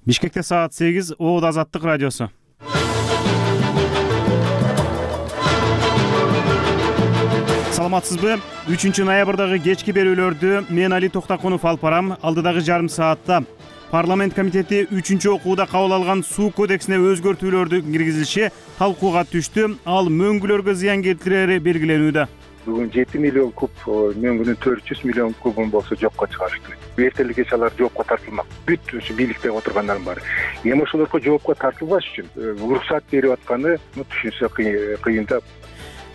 Бишкекте саат 8, Оот Азаттык радиосу. Саламатсызбы? 3-ноябрдагы кечки берүүлөрдү мен Али Токтакунов алып барам. Алдыдагы жарым саатта парламент комитети 3-окууда кабыл алган суу кодексине өзгөртүүлөрдү киргизиши талкууга түштү. Ал мөңгүлөргө зыян келтирери белгиленүүдө. Бүгүн 7 миллион куб мөңгүнүн 400 миллион кубун болсо жокко чыгарыш керек. Эртелик кеч алар жоопко тартылмак. Бүт ушу бийликте отургандардын баары. Эми ошолорго жоопко тартылбаш үчүн уруксат берип атканы түшүнсө кыйын да.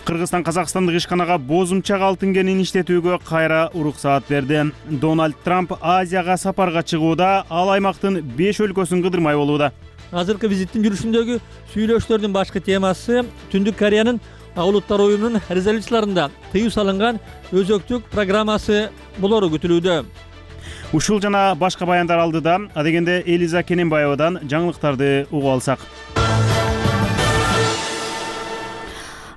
Кыргызстан Казакстандык ишканага бозумчак алтын кенин иштетүүгө кайра уруксаат берди. Дональд Трамп Азияга сапарга чыгууда, ал аймактын 5 өлкөсүн кыдырмай болууда. Азыркы визиттин жүрүшүндөгү сүйлөшүүлөрдүн башкы темасы Түндүк Кореянын Улуттар уюмунун резолюцияларында тыюу салынган өзөктүк программасы болору күтүлүүдө. Ушул жана башка баяндар алдыда, адегенде Элиза Кененбаевадан жаңылыктарды угуп алсак.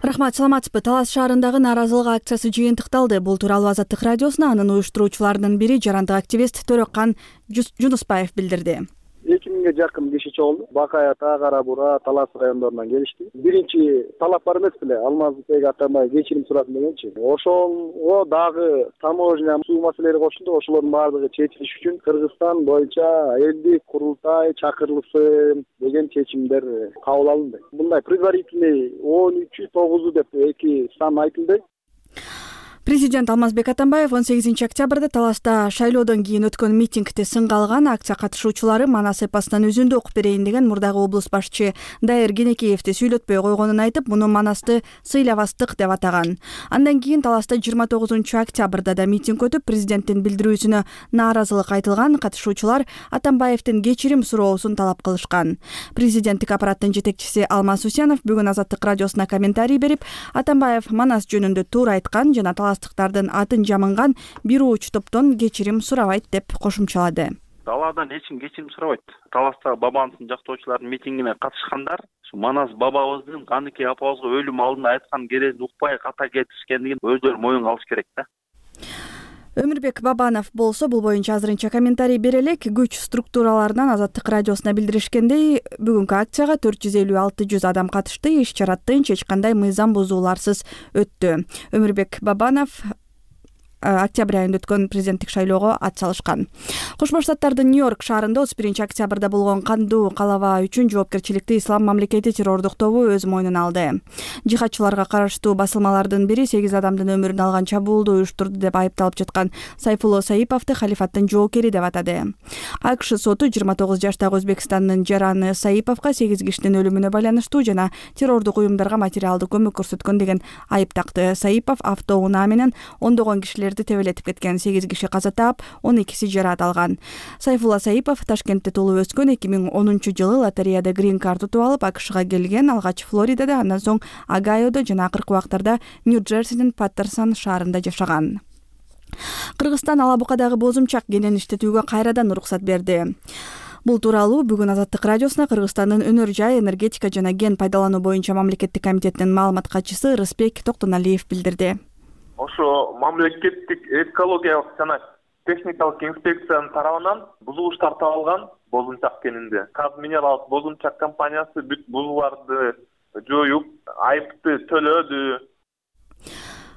Рахмат, саламатсызбы. Талас шаарындагы нааразылык акциясы жыйынтыкталды. Бул тууралуу Азаттык радиосуна анын уюштуруучуларынын бири жарандык активист Төрөккан Жунуспаев билдирди. 2000 жакын киши чогулду. Бакай Ата, Кара Бура, Талас райондорунан келишти. Биринчи талап бар эмес беле, Алмазбек Атамбаев кечирим сурасын дегенчи. Ошого дагы таможня суу маселелери кошулду. Ошолордун баардыгы чечилиш үчүн Кыргызстан боюнча элдик курултай чакырылсын деген чечимдер кабыл алынды. Мындай предварительный 13-9 деп эки сан айтылды. Президент Алмазбек Атамбаев 18 октябрда Таласта шайлоодон кийин өткөн митингде сынга алган акция катышуучулары Манас эпосунан үзүндү окуп берейин деген мурдагы облус башчы Дайыр Кенекеевди сүйлөтпөй койгонун айтып, муну Манасты сыйлабастык деп атаган. Андан кийин Таласта 29 октябрда да митинг өтүп, президенттин билдирүүсүнө нааразылык айтылган. Катышуучулар Атамбаевдин кечирим суроосун талап кылышкан. Президенттик аппараттын жетекчиси Алмаз Усенов бүгүн Азаттык радиосуна комментарий берип, Атамбаев Манас жөнүндө туура айткан жана таластыктардын атын жамынган бир уч топтон кечирим сурабайт деп кошумчалады. Талаадан эч ким кечирим сурабайт. Таластагы бабанысын жактоочулардын митингине катышкандар Манас бабабыздын Каныке апабызга өлүм алдында айткан керезин укпай ката кетишкендигин өздөрү моюнга алыш керек да. Өмүрбек Бабанов болсо бул боюнча азырынча комментарий бере элек. Күч структураларынан Азаттык радиосуна билдиришкендей, бүгүнкү акцияга 450-600 адам катышты. Иш-чара тынч, эч кандай мыйзам бузууларсыз өттү. Өмүрбек Бабанов октябрь айында өткөн президенттик шайлоого ат салышкан. Кошмо Штаттардын Нью-Йорк шаарында 31 октябрда болгон кандуу калаба үчүн жоопкерчиликти Ислам мамлекети террордук тобу өз мойнуна алды. Жихадчыларга караштуу басылмалардын бири 8 адамдын өмүрүн алган чабуулду уюштурду деп айыпталып жаткан Сайфулло Саиповду халифаттын жоокери деп атады. АКШ соту 29 жаштагы Өзбекстандын жараны Саиповго 8 кишинин өлүмүнө байланыштуу жана террордук уюмдарга материалдык көмөк көрсөткөн деген айып такты. Саипов автоунаа менен ондогон кишилер тебелетип кеткен. 8 киши каза таап, 12си жараат алган. Сайфулла Саипов Ташкентте туулуп өскөн. 2010-жылы лотереяда грин карт утуп алып АКШга келген. Алгач Флоридада, андан соң Огайодо жана акыркы убактарда Нью-Джерсинин Паттерсон шаарында жашаган. Кыргызстан Алабукадагы бозумчак кенин иштетүүгө кайрадан уруксат берди. Бул тууралуу бүгүн Азаттык радиосуна Кыргызстандын өнөр жай, энергетика жана ген пайдалануу боюнча мамлекеттик комитеттин маалымат катчысы Рыспек Токтоналиев билдирди. Ошо мамлекеттик экологиялык жана техникалык инспекциянын тарабынан бузулуштар табылган бозумчак кенинде. Казминералс бозумчак компаниясы бүт бузууларды жоюп, айыпты төлөдү.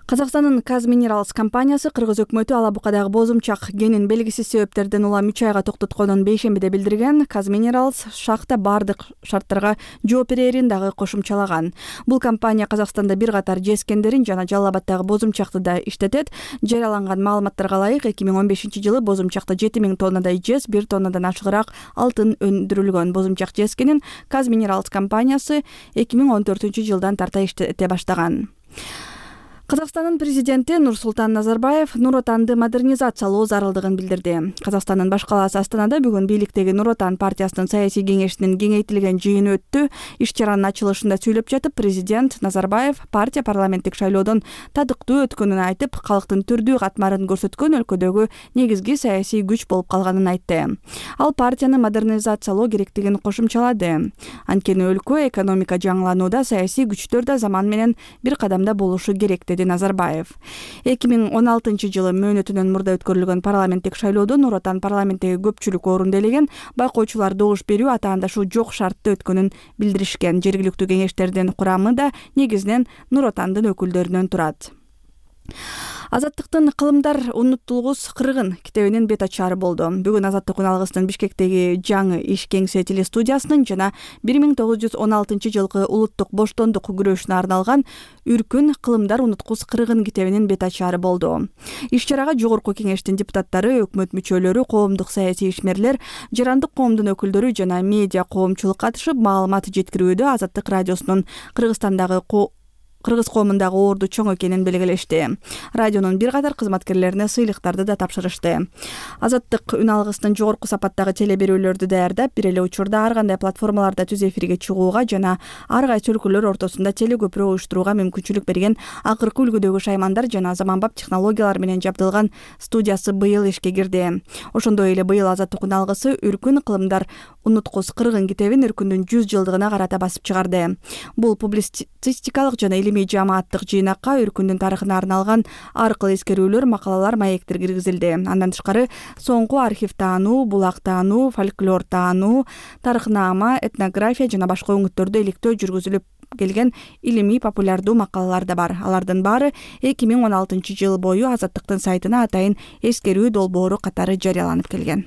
Казакстандын Казминералс компаниясы Кыргыз өкмөтү Алабукадагы бозумчак кенин белгисиз себептерден улам 3 айга токтотконун бейшембиде билдирген. Казминералс шахта бардык шарттарга жооп берерин дагы кошумчалаган. Бул компания Казакстанда бир катар жез кендерин жана Жалал Абаддагы бозумчакты да иштетет. Жарыяланган маалыматтарга ылайык 2015-жылы бозумчакта 7000 тоннадай жез, 1 тоннадан ашыгыраак алтын өндүрүлгөн. Бозумчак жез кенин Казминералс компаниясы 2014-жылдан тарта иштете баштаган. Казакстандын президенти Нурсултан Назарбаев Нур Отанды модернизациялоо зарылдыгын билдирди. Казакстандын баш калаасы Астанада бүгүн бийликтеги Нур Отан партиясынын саясий кеңешинин кеңейтилген жыйыны өттү. Иш-чаранын ачылышында сүйлөп жатып, президент Назарбаев партия парламенттик шайлоодон тадыктуу өткөнүн айтып, калктын түрдүү катмарын көрсөткөн өлкөдөгү негизги саясий күч болуп калганын айтты. Ал партияны модернизациялоо керектигин кошумчалады. Анткени өлкө экономика жаңыланууда, саясий күчтөр да заман менен бир кадамда болушу керек деди Назарбаев. 2016-жылы мөөнөтүнөн мурда өткөрүлгөн парламенттик шайлоодо Нур Отан парламенттеги көпчүлүк орунду ээлеген, байкоочулар добуш берүү атаандашу жок шартта өткөнүн билдиришкен. Жергиликтүү кеңештердин курамы да негизинен Нур Отандын өкүлдөрүнөн турат. Азаттыктын «Кылымдар унутулгус кыргын» китебинин бет ачары болду. Бүгүн Азаттык үналгысынын Бишкектеги жаңы иш кеңсе телестудиясынын жана 1916 жылкы улуттук боштондук күрөшүнө арналган «Үркүн кылымдар унуткус кыргын» китебинин бет ачары болду. Иш-чарага жогорку кеңештин депутаттары, өкмөт мүчөлөрү, коомдук саясий ишмерлер, жарандык коомдун өкүлдөрү жана медиа коомчулук катышып, маалымат жеткирүүдө Азаттык радиосунун Кыргыз коомундагы орду чоң экенин белгилешти. Радионун бир катар кызматкерлерине сыйлыктарды да тапшырышты. Азаттык үналгысынын жогорку сапаттагы теле берүүлөрдү даярдап, бир эле учурда ар кандай платформаларда түз эфирге чыгууга жана ар кайсы өлкөлөр ортосунда теле көпүрө уюштурууга мүмкүнчүлүк берген акыркы үлгүдөгү шаймандар жана заманбап технологиялар менен жабдылган студиясы быйыл ишке кирди. Ошондой эле быйыл Азаттык үналгысы «Үркүн кылымдар унуткус кыргын» китебин Үркүндүн 100 жылдыгына карата басып чыгарды. Бул публицистикалык жана илимий жамааттык жыйнакка Үркүндүн тарыхына арналган ар кыл эскерүүлөр, макалалар, маектер киргизилди. Андан тышкары соңку архив таануу, булак таануу, фольклор таануу, тарыхнама, этнография жана башка өңүттөрдө иликтөө жүргүзүлүп келген илимий популярдуу макалалар да бар. Алардын баары 2016 жыл бою Азаттыктын сайтына атайын эскерүү долбоору катары жарыяланып келген.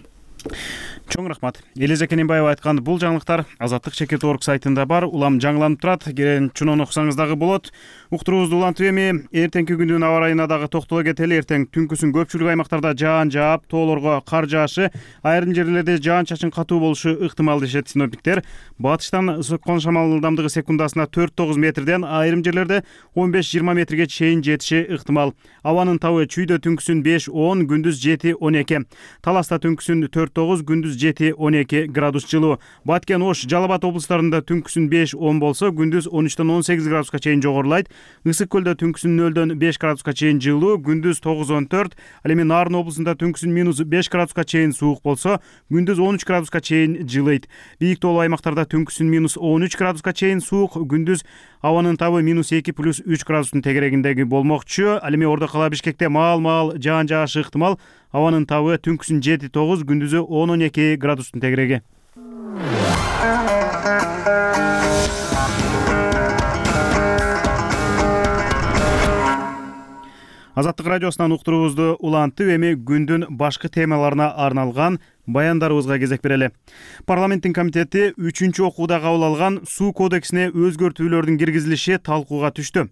Чоң рахмат. Элиза Кененбаева айткан бул жаңылыктар Азаттык.org сайтында бар, улам жаңыланып турат. Келен чунон окусаңыз дагы болот. Уктуруубузду улантып эми эртеңки күндүн аба ырайына дагы токтоло кетели. Эртең түнкүсүн көпчүлүк аймактарда жаан жаап, тоолорго кар жаашы, айрым жерлерде жаан-чачын катуу болушу ыктымал дешет синоптиктер. Батыштан соккон шамал ылдамдыгы секундасына 4-9 метрден, айрым жерлерде 15-20 метрге чейин жетиши ыктымал. Абанын табы Чүйдө түнкүсүн 5-10, күндүз 7-12. Таласта түнкүсүн 4-9, күндүз 7-12 градус жылуу. Баткен, Ош, Жалал Абад облустарында түнкүсүн 5-10 болсо, күндүз 13-18 градуска чейин жогорулайт. Ысык көлдө түнкүсүн 0-5 градуска чейин жылуу, күндүз 9-14. Ал эми Нарын облусунда түнкүсүн -5 градуска чейин суук болсо, күндүз 13 градуска чейин жылыйт. Бийик тоолуу аймактарда түнкүсүн -13 градуска чейин суук, күндүз абанын табы -2+3 градустун тегерегиндеги болмокчу. Ал эми Ордо кала Бишкекте маал-маал жаан жаашы ыктымал. Абанын табы түнкүсүн 7-9, күндүзү 10-12 градустун тегереги. Азаттык радиосунан уктуруубузду улантып, эми күндүн башкы темаларына арналган баяндарыбызга кезек берели. Парламенттин комитети 3-чү окууда кабыл алган суу кодексине өзгөртүүлөрдүн киргизилиши талкууга түштү.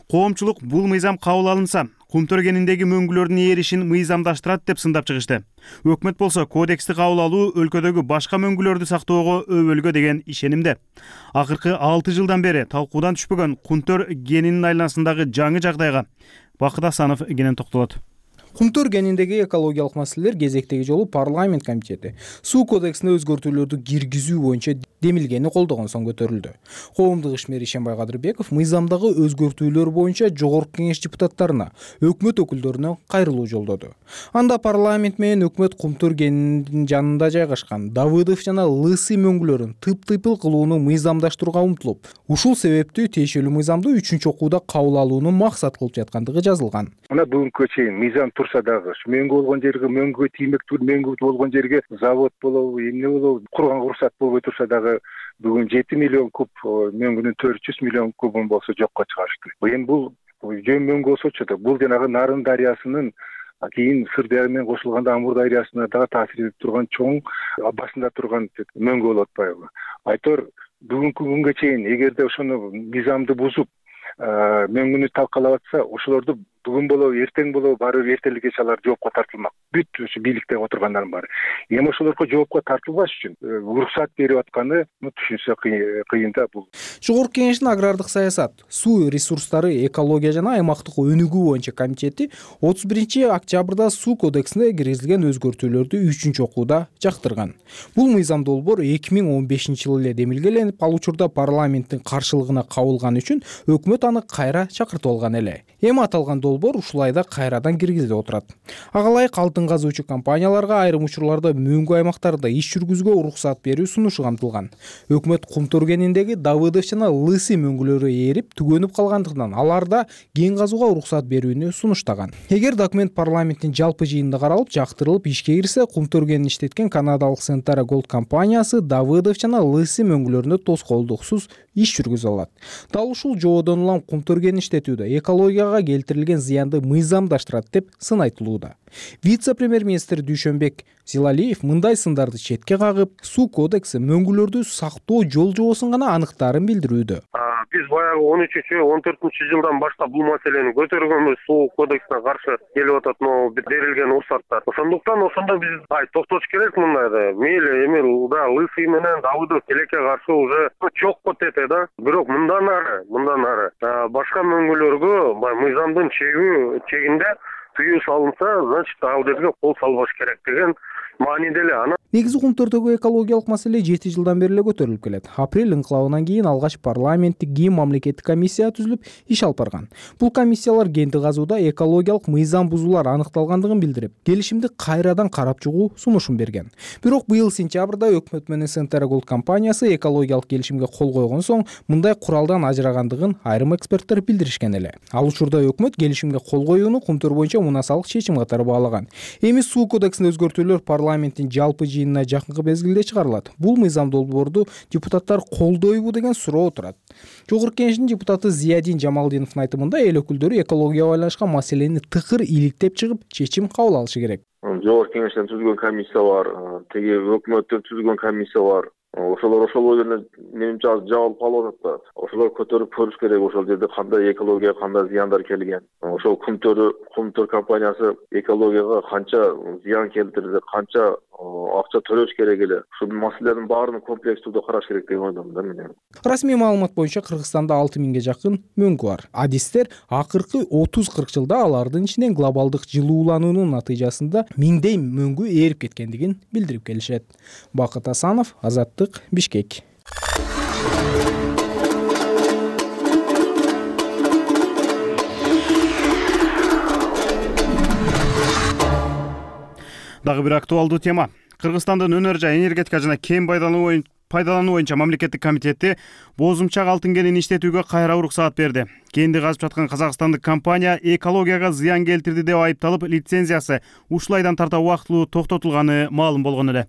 Коомчулук бул мыйзам кабыл алынса, Кумтөр кениндеги мөңгүлөрдүн ээришин мыйзамдаштырат деп сындап чыгышты. Өкмөт болсо кодексти кабыл алуу өлкөдөгү башка мөңгүлөрдү сактоого өбөлгө деген ишенимде. Акыркы 6 жылдан бери талкуудан түшпөгөн Кумтөр кенинин айланасындагы жаңы жагдайга Бакыт Асанов кенен токтолот. Кумтөр кениндеги экологиялык маселелер кезектеги жолу парламент комитети суу кодексине өзгөртүүлөрдү киргизүү боюнча демилгени колдогон соң көтөрүлдү. Коомдук ишмер Ишенбай Кадырбеков мыйзамдагы өзгөртүүлөр боюнча жогорку кеңеш депутаттарына, өкмөт өкүлдөрүнө кайрылуу жолдоду. Анда парламент менен өкмөт Кумтөр кенинин жанында жайгашкан Давыдов жана Лысый мөңгүлөрүн тып-тыйпыл кылууну мыйзамдаштырууга умтулуп, ушул себептүү тиешелүү мыйзамды 3-чү окууда кабыл алууну максат кылып жаткандыгы жазылган. Мына бүгүнкү чейин мыйзам турса дагы мөңгү болгон жерге мөңгүгө тиймектүү, мөңгү болгон жерге завод болобу, эмне болобу, курганга уруксат болбой турса дагы бүгүн 7 миллион куб мөңгүнүн 400 миллион кубун болсо жокко чыгарышты. Эми бул жөн мөңгү болсочу да бул жанагы Нарын дарыясынын кийин Сырдария менен кошулганда Амур дарыясына дагы таасир этип турган чоң басында турган мөңгү болуп атпайбы. Айтор бүгүнкү күнгө чейин эгерде ошону мыйзамды бузуп мөңгүнү талкалап атса, ошолорду бүгүн болобу, эртең болобу, баары бир эртеликкече алар жоопко тартылмак. Бүт ушу бийликте отургандардын баары. Эми ошолорго жоопко тартылбаш үчүн уруксат берип атканы түшүнсө кыйын да бул. Жогорку кеңештин агрардык саясат, суу ресурстары, экология жана аймактык өнүгүү боюнча комитети 31 октябрда суу кодексине киргизилген өзгөртүүлөрдү 3-чү окууда жактырган. Бул мыйзам долбоор 2015 жылы эле демилгеленип, ал учурда парламенттин каршылыгына кабылган үчүн өкмөт аны кайра чакыртып алган эле. Эми аталган долбоор долбоор ушул айда кайрадан киргизилип отурат. Ага ылайык алтын казуучу компанияларга айрым учурларда мөңгү аймактарда иш жүргүзүүгө уруксат берүү сунушу камтылган. Өкмөт Кумтөргениндеги Давыдов жана Лысы мөңгүлөрү ээрип түгөнүп калгандыктан аларда кен казууга уруксат берүүнү сунуштаган. Эгер документ парламенттин жалпы жыйынында каралып, жактырылып ишке кирсе, Кумтөргенин иштеткен канадалык Centara Gold компаниясы Давыдов жана Лысы мөңгүлөрүндө тоскоолдуксуз иш жүргүзө алат. Дал ушул жоодон улам Кумтөргенин иштетүүдө экологияга келтирилген зыянды мыйзамдаштырат деп сын айтылууда. Вице-премьер-министр Дүйшөнбек Зилалиев мындай сындарды четке кагып, суу кодекси мөңгүлөрдү сактоо жол жобосун гана аныктаарын билдирүүдө. Биз баягы 13-14 жылдан баштап бул маселени көтөргөнбүз, суу кодексине каршы келип атат берилген уруксаттар. Ошондуктан ошондо биз токтотуш керек мындайды. Мейли эми Лысый менен Давыдов тилекке каршы уже чокко тете да. Бирок мындан ары башка мөңгүлөргө мыйзамдын чегинде тыюу салынса, значит, ал жерге кол салбаш керек деген мааниде эле. Негизи Кумтөрдөгү экологиялык маселе 7 жылдан бери эле көтөрүлүп келет. Апрель инкылабынан кийин алгач парламенттик кийин мамлекеттик комиссия түзүлүп иш алып барган. Бул комиссиялар кенди казууда экологиялык мыйзам бузуулар аныкталгандыгын билдирип, келишимди кайрадан карап чыгуу сунушун берген. Бирок быйыл сентябрда өкмөт менен Centara Gold компаниясы экологиялык келишимге кол койгон соң мындай куралдан ажырагандыгын айрым эксперттер билдиришкен эле. Ал учурда өкмөт келишимге кол коюуну Кумтөр боюнча мунасалык чечим катары баалаган. Эми суу кодексине өзгөртүүлөр парламенттин жалпы жыйынына жакынкы мезгилде чыгарылат. Бул мыйзам долбоорду депутаттар колдойбу деген суроо турат. Жогорку Кеңештин депутаты Зиядин Жамалдиновдун айтымында эл өкүлдөрү экологияга байланышкан маселени тыкыр иликтеп чыгып, чечим кабыл алышы керек. Жогорку Кеңештен түзүлгөн комиссия бар, теги өкмөттөн түзүлгөн комиссия бар. Ошолор эле менимче жабылып калып атат да. Ошолор көтөрүп көрүш керек, ошол жерде кандай экологияга кандай зыяндар келген. Ошол Кумтөр компаниясы экологияга канча зыян келтирди, канча акча төлөш керек эле. Ушул маселелердин баарын комплекстүү караш керек деп ойлойм да мен. Расмий маалымат боюнча Кыргызстанда 6000ге жакын мөңгү бар. Адистер акыркы 30-40 жылда алардын ичинен глобалдык жылуулануунун натыйжасында миңдей мөңгү ээрип кеткендигин билдирип келишет. Бакыт Асанов, Азаттык, Бишкек. Дагы бир актуалдуу тема. Кыргызстандын өнөр жай энергетика жана кен пайдалануу боюнча мамлекеттик комитети бозумчак алтын кенин иштетүүгө кайра уруксаат берди. Кенди казып жаткан казакстандык компания экологияга зыян келтирди деп айыпталып, лицензиясы ушул айдан тарта убактылуу токтотулганы маалым болгон эле.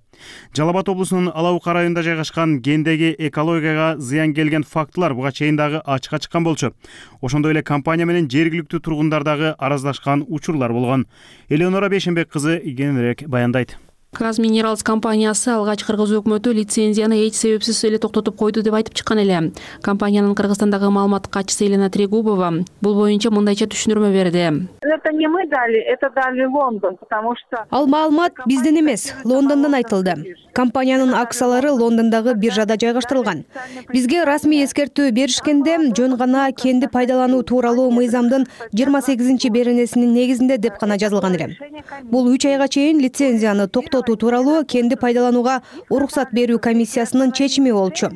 Жалал Абад облусунун Ала Бука районунда жайгашкан кендеги экологияга зыян келген фактылар буга чейин дагы ачыкка чыккан болчу. Ошондой эле компания менен жергиликтүү тургундар дагы араздашкан учурлар болгон. Элеонора Бейшенбек кызы кененирээк баяндайт. Казминералс компаниясы алгач кыргыз өкмөтү лицензияны эч себепсиз эле токтотуп койду деп айтып чыккан эле. Компаниянын Кыргызстандагы маалымат катчысы Елена Трегубова бул боюнча мындайча түшүндүрмө берди. Это не мы дали, это дали Лондон, потому что ал маалымат бизден эмес, Лондондон айтылды. Компаниянын акциялары Лондондогу биржада жайгаштырылган. Бизге расмий эскертүү беришкенде жөн гана кенди пайдалануу тууралуу мыйзамдын 28 беренесинин негизинде деп гана жазылган эле. Бул 3 айга чейин лицензияны токтотуу тууралуу кенди пайдаланууга уруксат берүү комиссиясынын чечими болчу.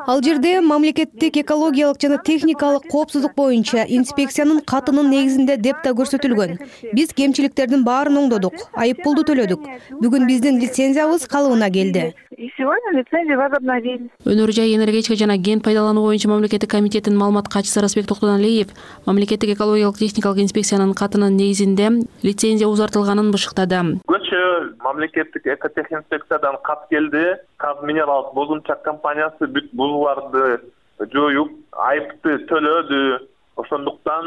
Ал жерде мамлекеттик экологиялык жана техникалык коопсуздук боюнча инспекциянын катынын негизинде деп да көрсөтүлгөн. Биз кемчиликтердин баарын оңдодук, айып пулду төлөдүк. Бүгүн биздин лицензиябыз калыбына келди. И сегодня лицензию возобновили. Өнөр жай энергетика жана кен пайдалануу боюнча мамлекеттик комитеттин маалымат катчысы Расбек Токтоналиев мамлекеттик экологиялык техникалык инспекциянын катынын негизинде лицензия узартылганын бышыктады. Мамлекеттик экотехинспекциядан кат келди. Казминералс бозумчак компаниясы бүт бузууларды жоюп, айыпты төлөдү. Ошондуктан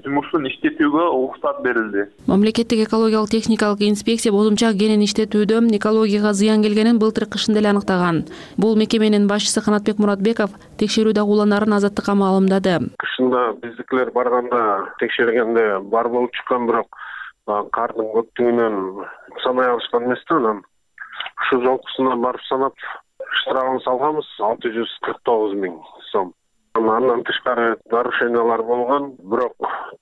жумушун иштетүүгө уруксат берилди. Мамлекеттик экологиялык техникалык инспекция бозумчак кенин иштетүүдө экологияга зыян келгенин былтыр кышында эле аныктаган. Бул мекеменин башчысы Канатбек Муратбеков текшерүү дагууландарын Азаттыкка маалымдады. Кышында биздикилер барганда текшергенде бар болуп чыккан, бирок кардын көптүгүнөн санай алышкан эмес да. Анан ушул жолкусуна барып санап штрафын салганбыз 649 000 сом. Андан тышкары нарушениялар болгон, бирок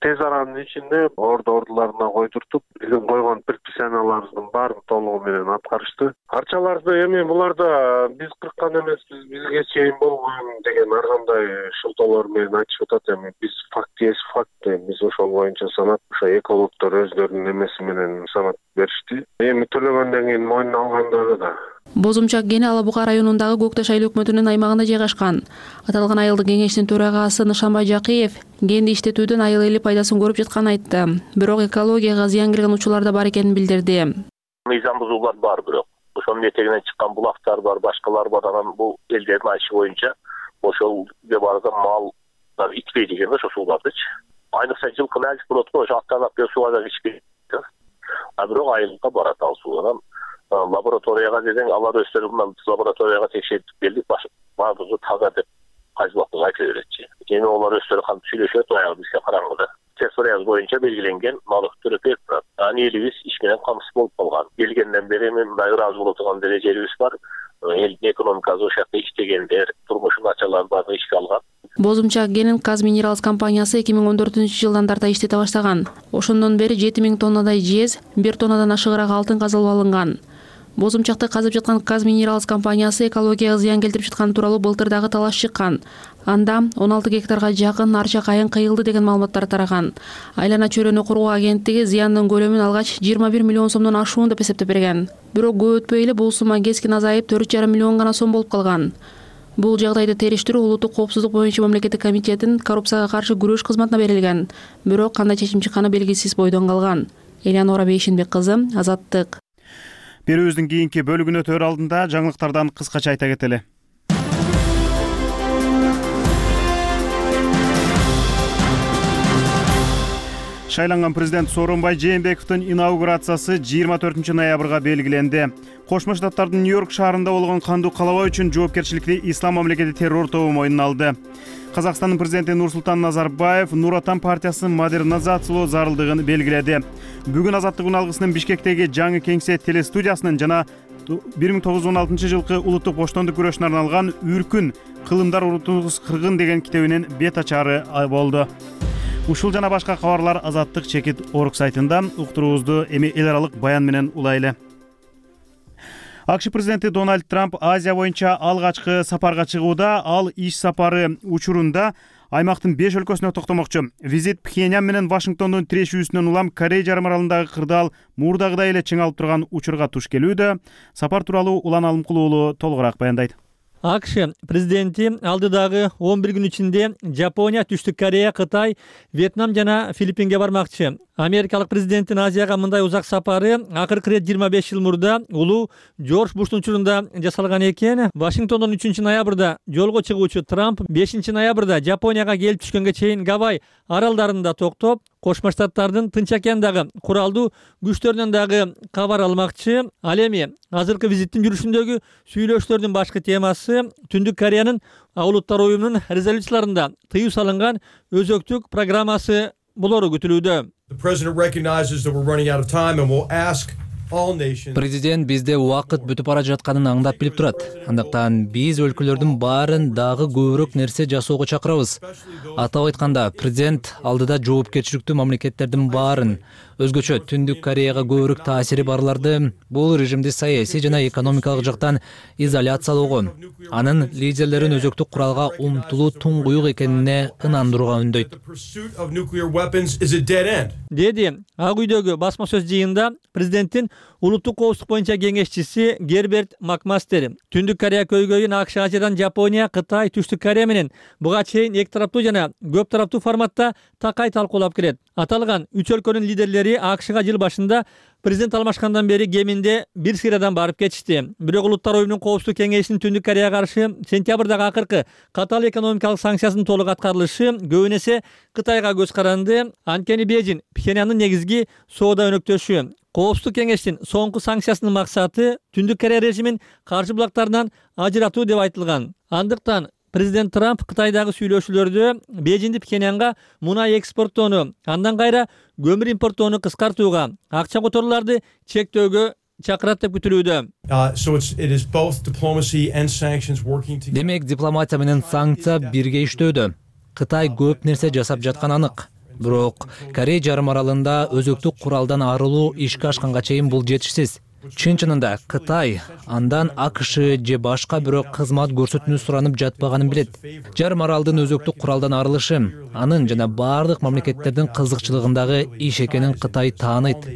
тез аранын ичинде ордуларына койдуртуп, биздин койгон предписанияларыбыздын баарын толугу менен аткарышты. Арчаларды эми буларда биз кырккан эмеспиз, бизге чейин болгон деген ар кандай шылтоолор менен айтышып атат. Эми биз факт есть факт, биз ошол боюнча санап, ошо экологдор өздөрүнүн эмеси менен санап беришти. Эми төлөгөндөн кийин мойнуна алгандары да. Бозумчак кени Ала Бука районундагы Көкташ айыл өкмөтүнүн аймагында жайгашкан. Аталган айылдык кеңештин төрагасы Нышанбай Жакиев кенди иштетүүдөн айыл эли пайдасын көрүп жатканын айтты. Бирок экологияга зыян келген учурлар да бар экенин билдирди. Мыйзам бузуулар бар, бирок ошонун этегинен чыккан булактар бар, башкалар бар. Анан бул элдердин айтышы боюнча ошол барда мал ичпейт экен ошо суулардычы. Айныкса жылкы нәжис болот го, ошо аттанып келип сууга да ичпейт. Бирок айылга барат ал суу. Анан лабораторияга десең, алар өздөрү лабораторияга текшертип келдик, баардыгы таза деп кайсылыктыгы айта беретчи. Эми олар өздөрү кантип сүйлөшөт, аягы бизге караңгыда. Территориябыз боюнча белгиленген малык түрү берип турат. Анан элибиз иш менен камсыз болуп калган. Келгенден бери мындай ыраазы боло турган дережелибиз бар. Элдин экономикасы ошол жакта иштегендер, турмушу начарлар баардыгы ишке алган. Бозумчак кенин Казминералс компаниясы 2014-жылдан тарта иштете баштаган. Ошондон бери 7000 тоннадай жез, 1 тоннадан ашыгыраак алтын казылып алынган. Бозумчакты казып жаткан Казминералс компаниясы экологияга зыян келтирип жатканы тууралуу былтыр дагы талаш чыккан. Анда 16 гектарга жакын арча кайын кыйылды деген маалыматтар тараган. Айлана чөйрөнү коргоо агенттиги зыяндын көлөмүн алгач 21 миллион сомдон ашуун деп эсептеп берген. Бирок көп өтпөй эле бул сумма кескин азайып 4,5 миллион гана сом болуп калган. Бул жагдайды териштирүү улуттук коопсуздук боюнча мамлекеттик комитеттин коррупцияга каршы күрөш кызматына берилген. Бирок кандай чечим чыкканы белгисиз бойдон калган. Элянора Бейшинбек кызы, Азаттык. Берүүбүздүн кийинки бөлүгүнө өтөр алдында жаңылыктардан кыскача айта кетели. Шайланган президент Сооронбай Жээнбековдун инаугурациясы 24 ноябрга белгиленди. Кошмо Штаттардын Нью-Йорк шаарында болгон кандуу калабаа үчүн жоопкерчиликти Ислам мамлекети террор тобу мойнуна алды. Казакстандын президенти Нурсултан Назарбаев Нур Отан партиясын модернизациялоо зарылдыгын белгиледи. Бүгүн Азаттык үналгысынын Бишкектеги жаңы кеңсе телестудиясынын жана 1916 жылкы улуттук боштондук күрөшүнө арналган «Үркүн. Кылымдар урутуңуз кыргын» деген китебинин бет ачары болду. Ушул жана башка кабарлар Азаттык чекит орг сайтында. Уктуруубузду эми эл аралык баян менен улайлы. АКШ президенти Дональд Трамп Азия боюнча алгачкы сапарга чыгууда, ал иш сапары учурунда аймактын 5 өлкөсүнө токтомокчу. Визит Пхеньян менен Вашингтондун тирешүүсүнөн улам Корей жарым аралындагы кырдаал мурдагыдай эле чың алып турган учурга туш келүүдө. Сапар тууралуу Улан Алымкулуу уулу толугураак баяндайт. АКШ президенти алдыдагы 11 күн ичинде Жапония, Түштүк Корея, Кытай, Вьетнам жана Филиппинге бармакчы. Америкалык президенттин Азияга мындай узак сапары акыркы ирет 25 жыл мурда улуу Жорж Буштун учурунда жасалган экен. Вашингтондон 3 ноябрда жолго чыгуучу Трамп 5 ноябрда Жапонияга келип түшкөнгө чейин Гавай аралдарында токтоп, Кошмо Штаттардын Тынч океандагы куралдуу күчтөрүнөн дагы кабар алмакчы. Ал эми азыркы визиттин жүрүшүндөгү сүйлөшүүлөрдүн башкы темасы Түндүк Кореянын Улуттар уюмунун резолюцияларында тыюу салынган өзөктүк программасы болору күтүлүүдө. Президент бизде убакыт бүтүп бара жатканын аңдап билип турат. Андыктан биз өлкөлөрдүн баарын дагы көбүрөөк нерсе жасоого чакырабыз. Атап айтканда, президент алдыда жоопкерчиликтүү мамлекеттердин баарын, өзгөчө Түндүк Кореяга көбүрөөк таасири барларды бул режимди саясий жана экономикалык жактан изоляциялоого, анын лидерлерин өзөктүк куралга умтулуу туңгуюк экенине ынандырууга үндөйт. Деди Ак үйдөгү басма сөз жыйында президенттин улуттук коопсуздук боюнча кеңешчиси Герберт Макмастер. Түндүк Корея көйгөйүн АКШ, Азиядан Жапония, Кытай, Түштүк Корея менен буга чейин эки тараптуу жана көп тараптуу форматта такай талкуулап келет. Аталган үч өлкөнүн лидерлери АКШга жыл башында президент алмашкандан бери кеминде бир сыйрадан барып кетишти. Бирок Улуттар уюмунун коопсуздук кеңешинин Түндүк Кореяга каршы сентябрдагы акыркы катаал экономикалык санкциясынын толук аткарылышы көбүн эсе Кытайга көз каранды. Анткени Бейжин Пхеньяндын негизги соода өнөктөшү. Коопсуздук кеңештин соңку санкциясынын максаты Түндүк Корея режимин каршы булактарынан ажыратуу деп айтылган. Андыктан президент Трамп Кытайдагы сүйлөшүүлөрдө Бейжинди Пхеньянга мунай экспорттоону, андан кайра көмүр импорттоону кыскартууга, акча которууларды чектөөгө чакырат деп күтүлүүдө. Демек, дипломатия менен санкция бирге иштөөдө. Кытай көп нерсе жасап жатканы анык. Бирок Корея жарым аралында өзөктүк куралдан арылуу ишке ашканга чейин бул жетишсиз. Чын-чынында Кытай андан АКШ же башка бирок кызмат көрсөтүүнү суранып жатпаганын билет. Жарым аралдын өзөктүк куралдан арылышы анын жана бардык мамлекеттердин кызыкчылыгындагы иш экенин Кытай тааныйт.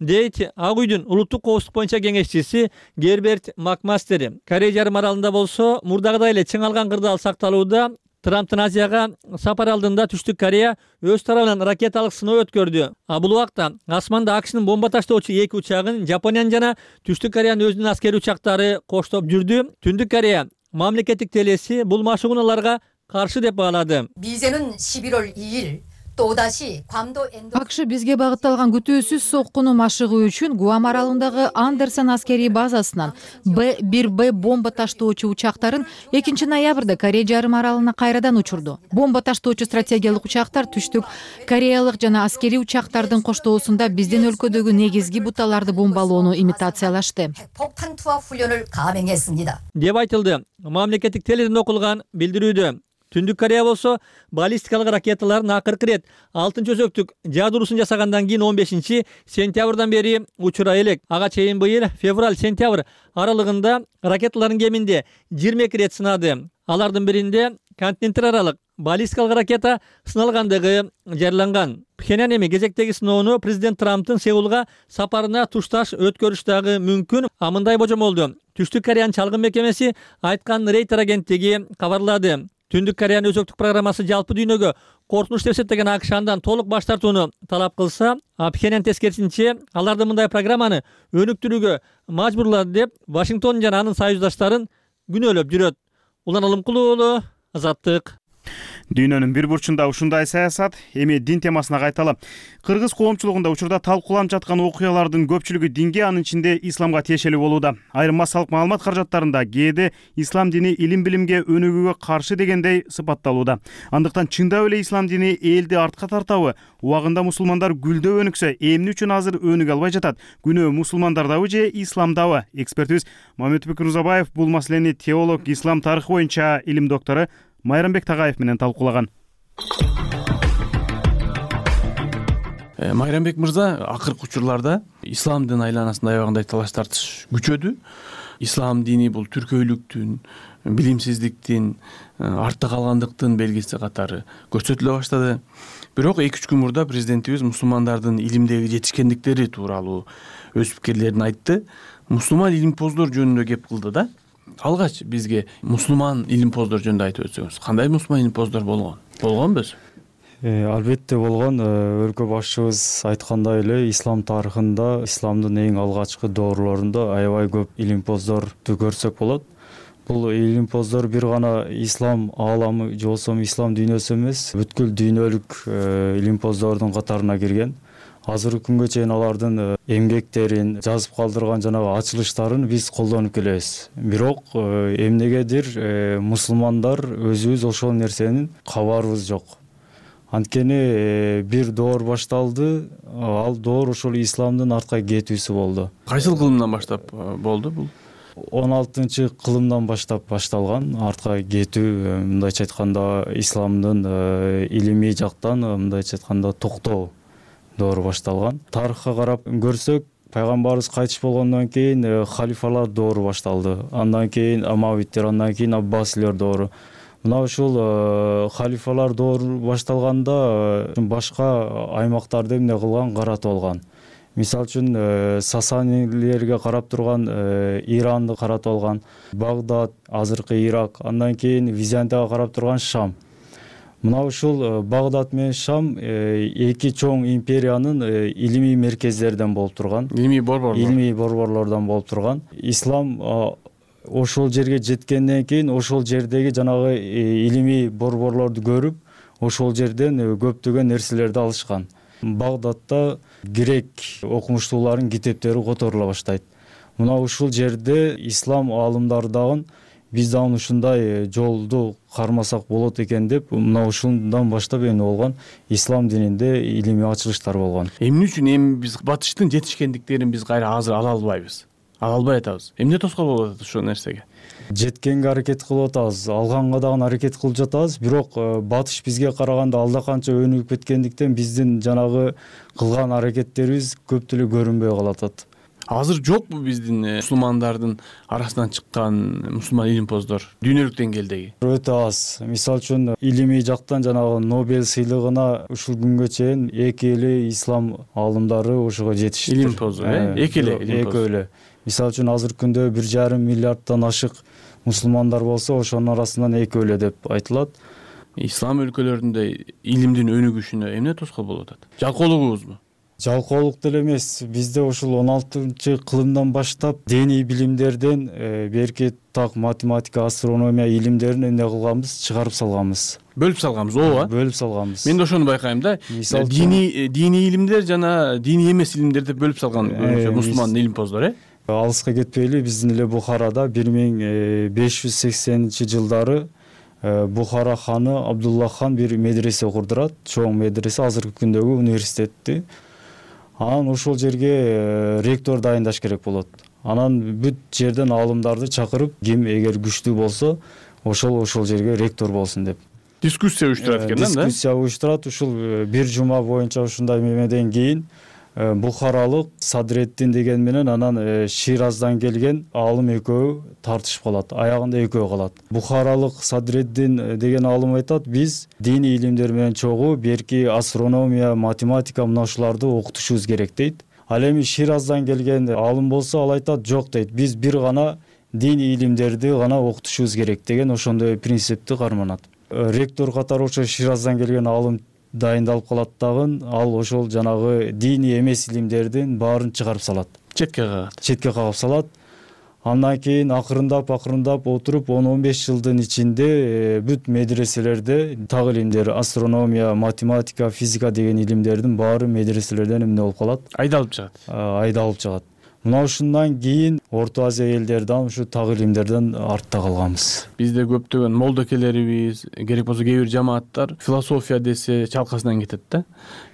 Дейт Ак үйдүн улуттук коопсуздук боюнча кеңешчиси Герберт Макмастер. Корея жарым аралында болсо мурдагыдай эле чыңалган кырдаал сакталууда. Трамптын Азияга сапар алдында Түштүк Корея өз тарабынан ракеталык сыноо өткөрдү. Бул убакта асманда АКШнын бомба таштоочу 2 учагын Жапониянын жана Түштүк Кореянын өзүнүн аскери учактары коштоп жүрдү. Түндүк Корея мамлекеттик телеси бул машыгууналарга каршы деп баалады. 미제는 11월 2일 또다시 괌도 АКШ бизге багытталган күтүүсүз соккуну машыгуу үчүн Гуам аралындагы Андерсон аскерий базасынан Б-1Б бомба таштоочу учактарын 2 ноябрда Корея жарым аралына кайрадан учурду. Бомба таштоочу стратегиялык учактар Түштүк Кореялык жана аскерий учактардын коштоосунда биздин өлкөдөгү негизги буталарды бомбалоону имитациялашты. 폭탄 투하 훈련을 감행했습니다. деп айтылды. Мамлекеттик теледен окулган билдирүүдө. Түндүк Корея болсо баллистикалык ракеталарын акыркы ирет 6-өзөктүк жаадыруусын жасагандан кийин 15-сентябрдан бери учурай элек. Ага чейин быйыл февраль-сентябрь аралыгында ракеталарын кеминде 22 рет сынады. Алардын биринде континенттер аралык баллистикалык ракета сыналгандыгы жарыяланган. Пхеньян эми кезектеги сыноону президент Трамптын Сеулга сапарына тушташ өткөрүш дагы мүмкүн. Мындай божомолду Түштүк Кореянын чалгын мекемеси айткан Рейтер агенттиги кабарлады. Түндүк Кореянын өзөктүк программасы жалпы дүйнөгө коркунуч деп эсептеген АКШ андан толук баш тартууну талап кылса, Пхеньян тескерисинче аларды мындай программаны өнүктүрүүгө мажбурлады деп Вашингтон жана анын союздаштарын күнөөлөп жүрөт. Улан Алымкулуу уулу, Азаттык. Дүйнөнүн бир бурчунда ушундай саясат. Эми дин темасына кайталы. Кыргыз коомчулугунда учурда талкууланып жаткан окуялардын көпчүлүгү динге, анын ичинде исламга тиешелүү болууда. Айрым массалык маалымат каражаттарында кээде ислам дини илим-билимге өнүгүүгө каршы дегендей сыпатталууда. Андыктан чындап эле ислам дини элди артка тартабы? Убагында мусулмандар гүлдөп өнүксө, эмне үчүн азыр өнүгө албай жатат? Күнөө мусулмандардабы же исламдабы? Экспертибиз Мамедбек Мырзабаев бул маселени теолог, ислам тарыхы боюнча илим доктору Майрамбек Тагаев менен талкуулаган. Майрамбек мырза, акыркы учурларда исламдын айланасында аябагандай талаш тартыш күчөдү. Ислам дини бул түркөйлүктүн, билимсиздиктин, артта калгандыктын белгиси катары көрсөтүлө баштады. Бирок 2-3 күн мурда президентибиз мусулмандардын илимдеги жетишкендиктери тууралуу өз пикирлерин айтты. Мусулман илимпоздор жөнүндө кеп кылды да. Алгач бизге мусулман илимпоздор жөнүндө айтып өтсөңүз, кандай мусулман илимпоздор болгонбу? Албетте болгон. Өлкө башчыбыз айткандай эле ислам тарыхында, исламдын эң алгачкы доорлорунда аябай көп илимпоздорду көрсөк болот. Бул илимпоздор бир гана ислам ааламы же болбосо ислам дүйнөсү эмес, бүткүл дүйнөлүк илимпоздордун катарына кирген. Азыркы күнгө чейин алардын эмгектерин, жазып калдырган жанагы ачылыштарын биз колдонуп келебиз. Бирок эмнегедир мусулмандар өзүбүз ошол нерсенин кабарыбыз жок. Анткени бир доор башталды, ал доор ошол исламдын артка кетүүсү болду. Кайсыл кылымдан баштап болду бул? 16-кылымдан баштап башталган артка кетүү, мындайча айтканда исламдын илимий жактан мындайча айтканда токтоо доору башталган. Тарыхка карап көрсөк, пайгамбарыбыз кайтыш болгондон кийин халифалар доору башталды. Андан кийин Амавиттер, андан кийин Аббасилер доору. Мына ушул халифалар доору башталганда башка аймактарды эмне кылган каратып алган. Мисалы үчүн Сасанилерге карап турган Иранды каратып алган, Багдад, азыркы Ирак, андан кийин Византияга карап турган Шам. Мына ушул Багдад менен Шам эки чоң империянын илимий меркездерден болуп турган. Илимий борборлордон болуп турган. Ислам ошол жерге жеткенден кийин ошол жердеги жанагы илимий борборлорду көрүп, ошол жерден көптөгөн нерселерди алышкан. Багдадта грек окумуштуулардын китептери которула баштайт. Мына ушул жерде ислам аалымдары дагы биз дагы ушундай жолду кармасак болот экен деп, мына ушундан баштап эмне болгон, ислам дининде илимий ачылыштар болгон. Эмне үчүн биз батыштын жетишкендиктерин биз кайра азыр ала албайбыз? албай атабыз. Эмне тоскоол болуп атат ушул нерсеге? Жеткенге аракет кылып атабыз, алганга дагы аракет кылып жатабыз, бирок батыш бизге караганда алда канча өнүгүп кеткендиктен биздин жанагы кылган аракеттерибиз көп деле көрүнбөй калатат. Азыр жокпу биздин мусулмандардын арасынан чыккан мусулман илимпоздор дүйнөлүк деңгээлдеги? Өтө аз. Мисалы үчүн илимий жактан жанагы Нобель сыйлыгына ушул күнгө чейин эки эле ислам аалымдары ошого жетиштир. Илимпоздор, эки эле. Мисалы үчүн азыркы күндө 1,5 миллиарддан ашык мусулмандар болсо, ошонун арасынан экөө эле деп айтылат. Ислам өлкөлөрүндө илимдин өнүгүшүнө эмне тоскоол болуп атат? Жалкоолугубузбу? Жалкоолук деле эмес. Бизде ушул 16-кылымдан баштап диний билимдерден берки так математика, астрономия илимдерин эмне кылганбыз? Чыгарып салганбыз. Бөлүп салганбыз, ооба. Бөлүп салганбыз. Мен да ошону байкайм да. Диний илимдер жана диний эмес илимдер деп бөлүп салган мусулман илимпоздор, Алыска кетпейли, биздин эле Бухарада 1580-жылдары Бухара ханы Абдулла хан бир медресе курдурат, чоң медресе, азыркы күндөгү университетти. Анан ошол жерге ректор дайындаш керек болот. Анан бүт жерден аалымдарды чакырып, ким эгер күчтүү болсо, ошол жерге ректор болсун деп. Дискуссия уюштурат экен да? Дискуссия уюштурат. Ушул бир жума боюнча ушундай мемеден кийин Бухаралык Садреддин деген менен анан Шираздан келген аалым экөө тартышып калат. Аягында экөө калат. Бухаралык Садреддин деген аалым айтат, биз диний илимдер менен чогуу берки астрономия, математика мына ушуларды окутушубуз керек дейт. Ал эми Шираздан келген аалым болсо, ал айтат, жок дейт, биз бир гана диний илимдерди гана окутушубуз керек деген ошондой принципти карманат. Ректор катары ошо Шираздан келген аалым дайындалып калат дагы, ал ошол жанагы диний эмес илимдердин баарын чыгарып салат. Четке кагып салат. Андан кийин акырындап отуруп 10-15 жылдын ичинде бүт медреселерде так илимдер, астрономия, математика, физика деген илимдердин баары медреселерден эмне болуп калат? Айдалып чыгат. Мына ушундан кийин Орто Азия элдерден ушу так илимдерден артта калганбыз. Бизде көптөгөн молдокелерибиз, керек болсо кээ бир жамааттар философия десе чалкасынан кетет да.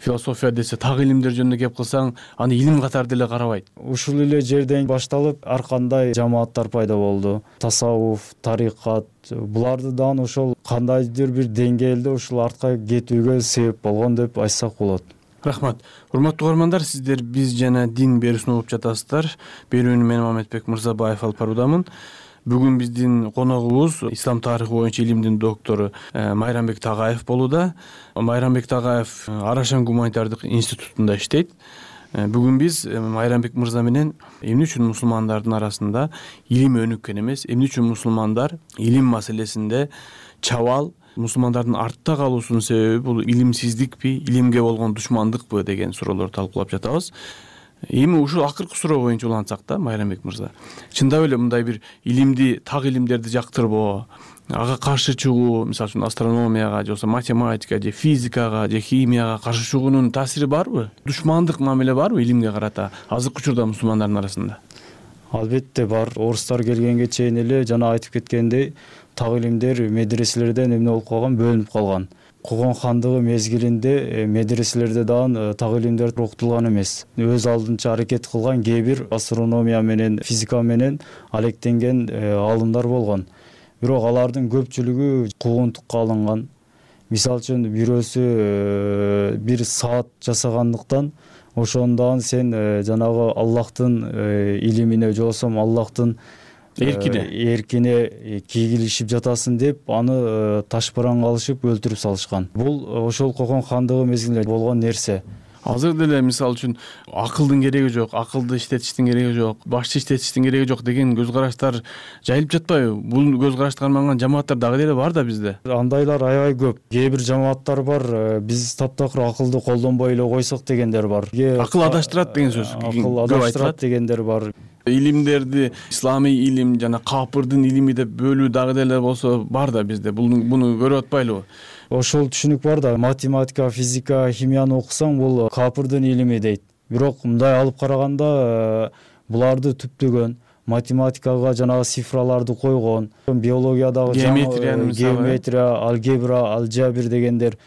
Философия десе так илимдер жөнүндө кеп кылсаң, аны илим катары деле карабайт. Ушул эле жерден башталып, ар кандай жамааттар пайда болду. Тасаввуф, тарикат, буларды дагы ошол кандайдыр бир деңгээлде ушул артка кетүүгө себеп болгон деп айтсак болот. Рахмат. Урматтуу угармандар, сиздер биз жана дин берүүсүн угуп жатасыздар. Берүүнү мен Мамедбек Мырзабаев алып баруудамын. Бүгүн биздин коногубуз ислам тарыхы боюнча илимдин доктору Майрамбек Тагаев болууда. Майрамбек Тагаев Арашан гуманитардык институтунда иштейт. Бүгүн биз Майрамбек мырза менен эмне үчүн мусулмандардын арасында илим өнүккөн эмес, эмне үчүн мусулмандар илим маселесинде чабал, мусулмандардын артта калуусунун себеби бул илимсиздикпи, илимге болгон душмандыкпы деген суроолорду талкуулап жатабыз. Эми ушул акыркы суроо боюнча улантсак да, Майрамбек мырза. Чындап эле мындай бир илимди, так илимдерди жактырбоо, ага каршы чыгуу, мисалы үчүн астрономияга, же болбосо математикага, же физикага, же химияга каршы чыгуунун таасири барбы? Душмандык мамиле барбы илимге карата азыркы учурда мусулмандардын арасында? Албетте бар. Орустар келгенге чейин эле жана айтып кеткендей, так илимдер медреселерден эмне болуп калган, бөлүнүп калган. Когон хандыгы мезгилинде медреселерде дагы так илимдер окутулган эмес. Өз алдынча аракет кылган кээ бир астрономия менен, физика менен алектенген аалымдар болгон. Бирок алардын көпчүлүгү куугунтукка алынган. Мисалы үчүн бирөөсү бир саат жасагандыктан ошондон сен жанагы Аллахтын илимине, же болбосо Аллахтын эркине кийгилишип жатасың деп аны ташбаранга алышып өлтүрүп салышкан. Бул ошол Кокон хандыгы мезгилинде болгон нерсе. Азыр деле мисалы үчүн акылдын кереги жок, акылды иштетиштин кереги жок, башчы иштетиштин кереги жок деген көз караштар жайылып жатпайбы? Бул көз карашты карманган жамааттар дагы деле бар да бизде. Андайлар аябай көп. Кээ бир жамааттар бар, биз таптакыр акылды колдонбой эле койсок дегендер бар. Акыл адаштырат деген сөз. Акыл адаштырат дегендер бар. Илимдерди исламий илим жана капырдын илими деп бөлүү дагы деле болсо бар да бизде. Буну көрүп атпайлыбы? Ошол түшүнүк бар да, математика, физика, химияны окусаң бул капырдын илими дейт. Бирок мындай алып караганда буларды түптөгөн, математикага жанагы цифраларды койгон, биологиядагы геометрия, алгебра, алжабир дегендер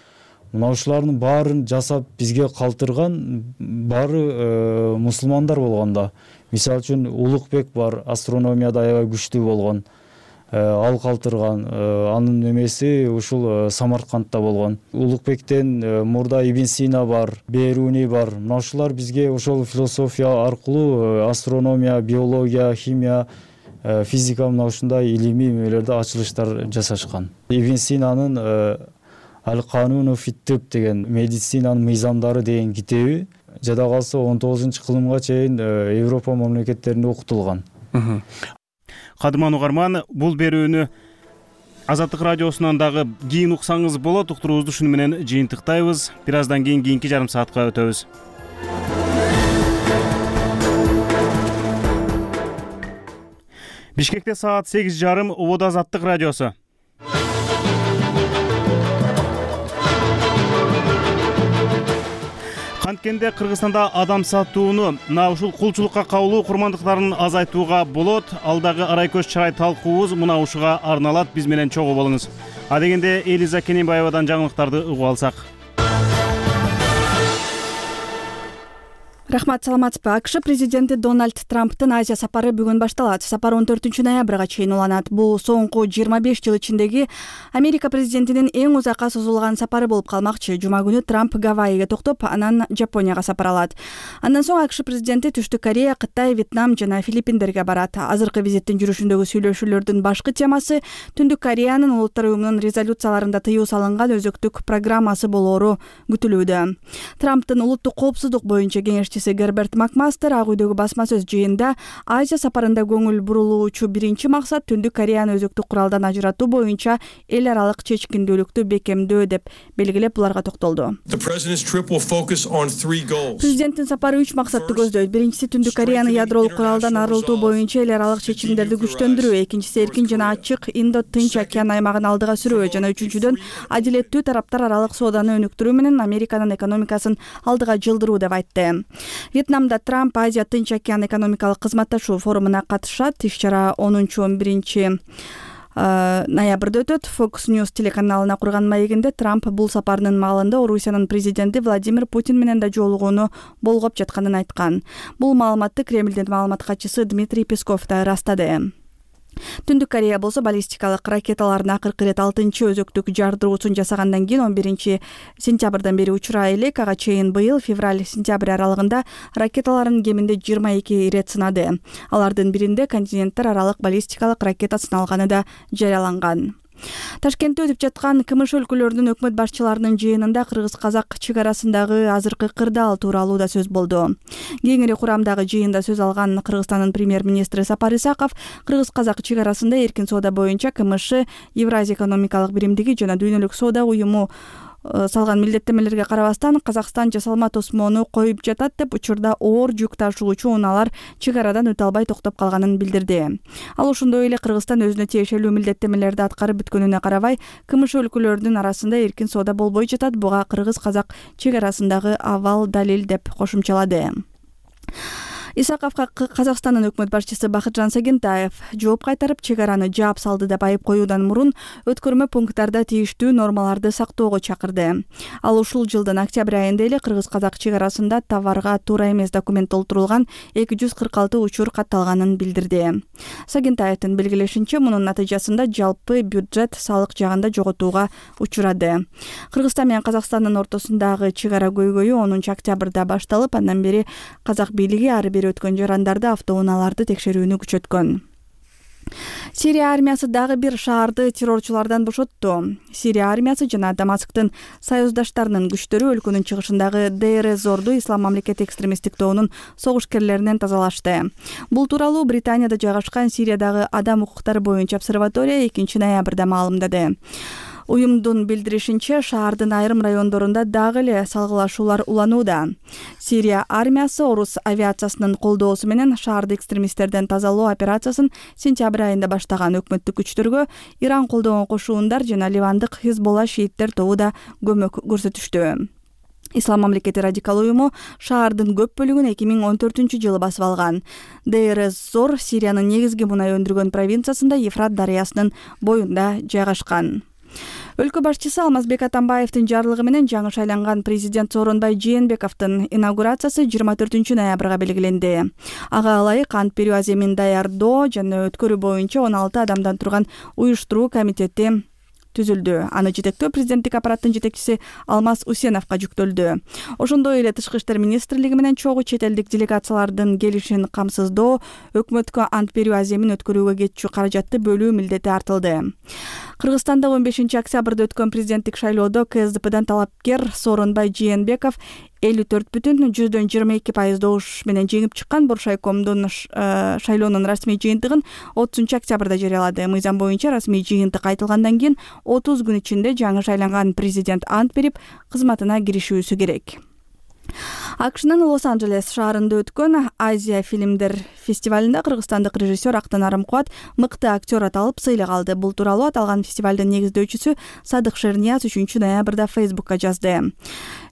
мына ушулардын баарын жасап бизге калтырган баары мусулмандар болгон да. Мисалы үчүн Улукбек бар, астрономияда аябай күчтүү болгон. Ал калтырган. Анын немеси ушул Самаркандта болгон. Улукбектен мурда Ибн Сина бар, Беруни бар. Мына ушулар бизге ошол философия аркылуу астрономия, биология, химия, физика мына ушундай илимий эмелерде ачылыштар жасашкан. Ибн Синанын Ал-Кануну фит-тиб деген медицинанын мыйзамдары деген китеби жада калса 19-кылымга чейин Европа мамлекеттеринде окутулган. Кадырман угарман, бул берүүнү Азаттык радиосунан дагы кийин уксаңыз болот. Уктуруубузду шуну менен жыйынтыктайбыз. Бир аздан кийин кийинки жарым саатка өтөбүз. Бишкекте саат 8:30, Ободо Азаттык радиосу. Канткенде Кыргызстанда адам сатууну, мына ушул кулчулукка кабылуу курмандыктарын азайтууга болот. Алдагы арай көз чырай талкуубуз мына ушуга арналат. Биз менен чогуу болуңуз. Адегенде Элиза Кененбаевадан жаңылыктарды угуп алсак. Рахмат, саламатсызбы. АКШ президенти Дональд Трамптын Азия сапары бүгүн башталат. Сапар 14-ноябрга чейин уланат. Бул соңку 25 жыл ичиндеги Америка президентинин эң узакка созулган сапары болуп калмакчы. Жума күнү Трамп Гавайиге токтоп, анан Жапонияга сапар алат. Андан соң АКШ президенти Түштүк Корея, Кытай, Вьетнам жана Филиппиндерге барат. Азыркы визиттин жүрүшүндөгү сүйлөшүүлөрдүн башкы темасы Түндүк Кореянын Улуттар уюмунун резолюцияларында тыюу салынган өзөктүк программасы болоору күтүлүүдө. Трамптын улуттук коопсуздук боюнча кеңешчиси Герберт Макмастер ак үйдөгү басма сөз жыйында Азия сапарында көңүл бурулуучу биринчи максат Түндүк Кореяны өзөктүк куралдан ажыратуу боюнча эл аралык чечкиндүүлүктү бекемдөө деп белгилеп, буларга токтолду. Президенттин сапары 3 максатты көздөйт. Биринчиси Түндүк Кореяны ядролук куралдан арылтуу боюнча эл аралык чечимдерди күчтөндүрүү, экинчиси эркин жана ачык Индо-Тынч океан аймагын алдыга сүрүү жана үчүнчүдөн адилеттүү тараптар аралык сооданы өнүктүрүү менен Американын экономикасын алдыга жылдыруу деп айтты. Вьетнамда Трамп Азия-Тынч океан экономикалык кызматташуу форумуна катышат. Иш-чара 10-11 ноябрда өтөт. Fox News телеканалына курган маегинде Трамп бул сапарынын маалында Орусиянын президенти Владимир Путин менен да жолугууну болгоп жатканын айткан. Бул маалыматты Кремлдин маалымат катчысы Дмитрий Песков да ырастады. Түндүк Корея болсо баллистикалык ракеталарын акыркы ирет 6-чы өзөктүк жардыруусун жасагандан кийин 11-сентябрдан бери учура элек. Ага чейин быйыл февраль-сентябрь аралыгында ракеталарын кеминде 22 ирет сынады. Алардын биринде континенттер аралык баллистикалык ракета сыналганы да жарыяланган. Ташкентте өтүп жаткан КМШ өлкөлөрүнүн өкмөт башчыларынын жыйынында кыргыз-казак чек арасындагы азыркы кырдаал тууралуу да сөз болду. Кеңири курамдагы жыйында сөз алган Кыргызстандын премьер-министри Сапар Исаков кыргыз-казак чек арасында эркин соода боюнча КМШ, Евразия экономикалык биримдиги жана Дүйнөлүк соода уюму салган милдеттемелерге карабастан Казакстан жасалма тосмоону коюп жатат деп учурда оор жүк ташуучу унаалар чек арадан өтө албай токтоп калганын билдирди. Ал ошондой эле Кыргызстан өзүнө тиешелүү милдеттемелерди аткарып бүткөнүнө карабай КМШ өлкөлөрүнүн арасында эркин соода болбой жатат. Буга кыргыз-казак чек арасындагы абал далил деп кошумчалады. Исаковго Казакстандын өкмөт башчысы Бакытжан Сагентаев жооп кайтарып, чек араны жаап салды деп айып коюудан мурун өткөрмө пункттарда тийиштүү нормаларды сактоого чакырды. Ал ушул жылдын октябрь айында эле кыргыз-казак чек арасында товарга туура эмес документ толтурулган 246 учур катталганын билдирди. Сагентаевдин белгилешинче, мунун натыйжасында жалпы бюджет салык жагында жоготууга учурады. Кыргызстан менен Казакстандын ортосундагы чек ара көйгөйү 10 октябрда башталып, андан бери казак бийлиги ары бери өткөн жарандарды, автоунааларды текшерүүнү күчөткөн. Сирия армиясы дагы бир шаарды террорчулардан бошотту. Сирия армиясы жана Дамасктын союздаштарынын күчтөрү өлкөнүн чыгышындагы Дейр-эз-Зорду Ислам мамлекети экстремисттик тобунун согушкерлеринен тазалашты. Бул тууралуу Британияда жайгашкан Сириядагы адам укуктары боюнча обсерватория 2 ноябрда маалымдады. Уюмдун билдиришинче, шаардын айрым райондорунда дагы эле салгылашуулар уланууда. Сирия армиясы орус авиациясынын колдоосу менен шаарды экстремисттерден тазалоо операциясын сентябрь айында баштаган. Өкмөттүк күчтөргө Иран колдогон кошуундар жана ливандык Хизболла шииттер тобу да көмөк көрсөтүштү. Ислам мамлекети радикал уюму шаардын көп бөлүгүн 2014-жылы басып алган. Дейр-эз-Зор Сириянын негизги мунай өндүргөн провинциясында Ефрат дарыясынын боюнда жайгашкан. Өлкө башчысы Алмазбек Атамбаевдин жарлыгы менен жаңы шайланган президент Сооронбай Жээнбековдун инаугурациясы 24 ноябрга белгиленди. Ага ылайык ант берүү аземин даярдоо жана өткөрүү боюнча 16 адамдан турган уюштуруу комитети түзүлдү. Аны жетектөө президенттик аппараттын жетекчиси Алмаз Усеновго жүктөлдү. Ошондой эле Тышкы иштер министрлиги менен чогуу чет элдик делегациялардын келишин камсыздоо, өкмөткө ант берүү аземин өткөрүүгө кетчү каражатты бөлүү милдети артылды. Кыргызстанда 15 октябрда өткөн президенттик шайлоодо КСДПдан талапкер Сооронбай Жээнбеков 54,22% добуш менен жеңип чыккан. Боршайкомдун шайлоонун расмий жыйынтыгын 30 октябрда жарыялады. Мыйзам боюнча расмий жыйынтык айтылгандан кийин 30 күн ичинде жаңы шайланган президент ант берип, кызматына киришүүсү керек. АКШнын Лос-Анджелес шаарында өткөн Азия фильмдер фестивалында кыргызстандык режиссер Актан Арымкубат мыкты актер аталып сыйлык алды. Бул тууралуу аталган фестивалдын негиздөөчүсү Садык Шернияз 3 ноябрда Facebook'ка жазды.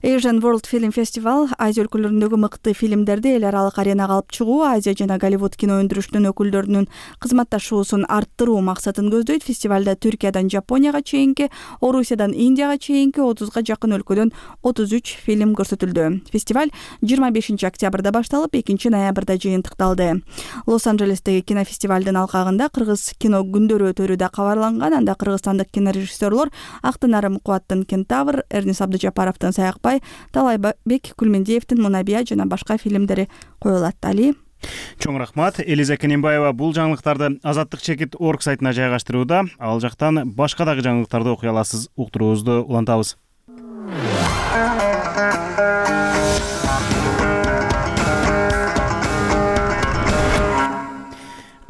Asian World Film Festival Азия өлкөлөрүндөгү мыкты фильмдерди эл аралык аренага алып чыгуу, Азия жана Голливуд кино өндүрүшүнүн өкүлдөрүнүн кызматташуусун арттыруу максатын көздөйт. Фестивалда Түркиядан Жапонияга чейинки, Орусиядан Индияга чейинки 30га жакын өлкөдөн 33 фильм көрсөтүлдү. Фестиваль 25 октябрда башталып, 2 ноябрда жыйынтыкталды. Лос-Анджелестеги кинофестивалдын алкагында кыргыз кино күндөрү өтөрү да кабарланган. Анда кыргызстандык кинорежиссерлор Актан Арымкубаттын Кентавр, Эрнис Абдыжапаровдун Саякбай, Талайбек Күлмендиевдин Мунабия жана башка фильмдери коюлат. Али. Чоң рахмат. Элиза Кененбаева бул жаңылыктарды Азаттык чекит орг сайтына жайгаштырууда. Ал жактан башка дагы жаңылыктарды окуй аласыз. Уктуруубузду улантабыз.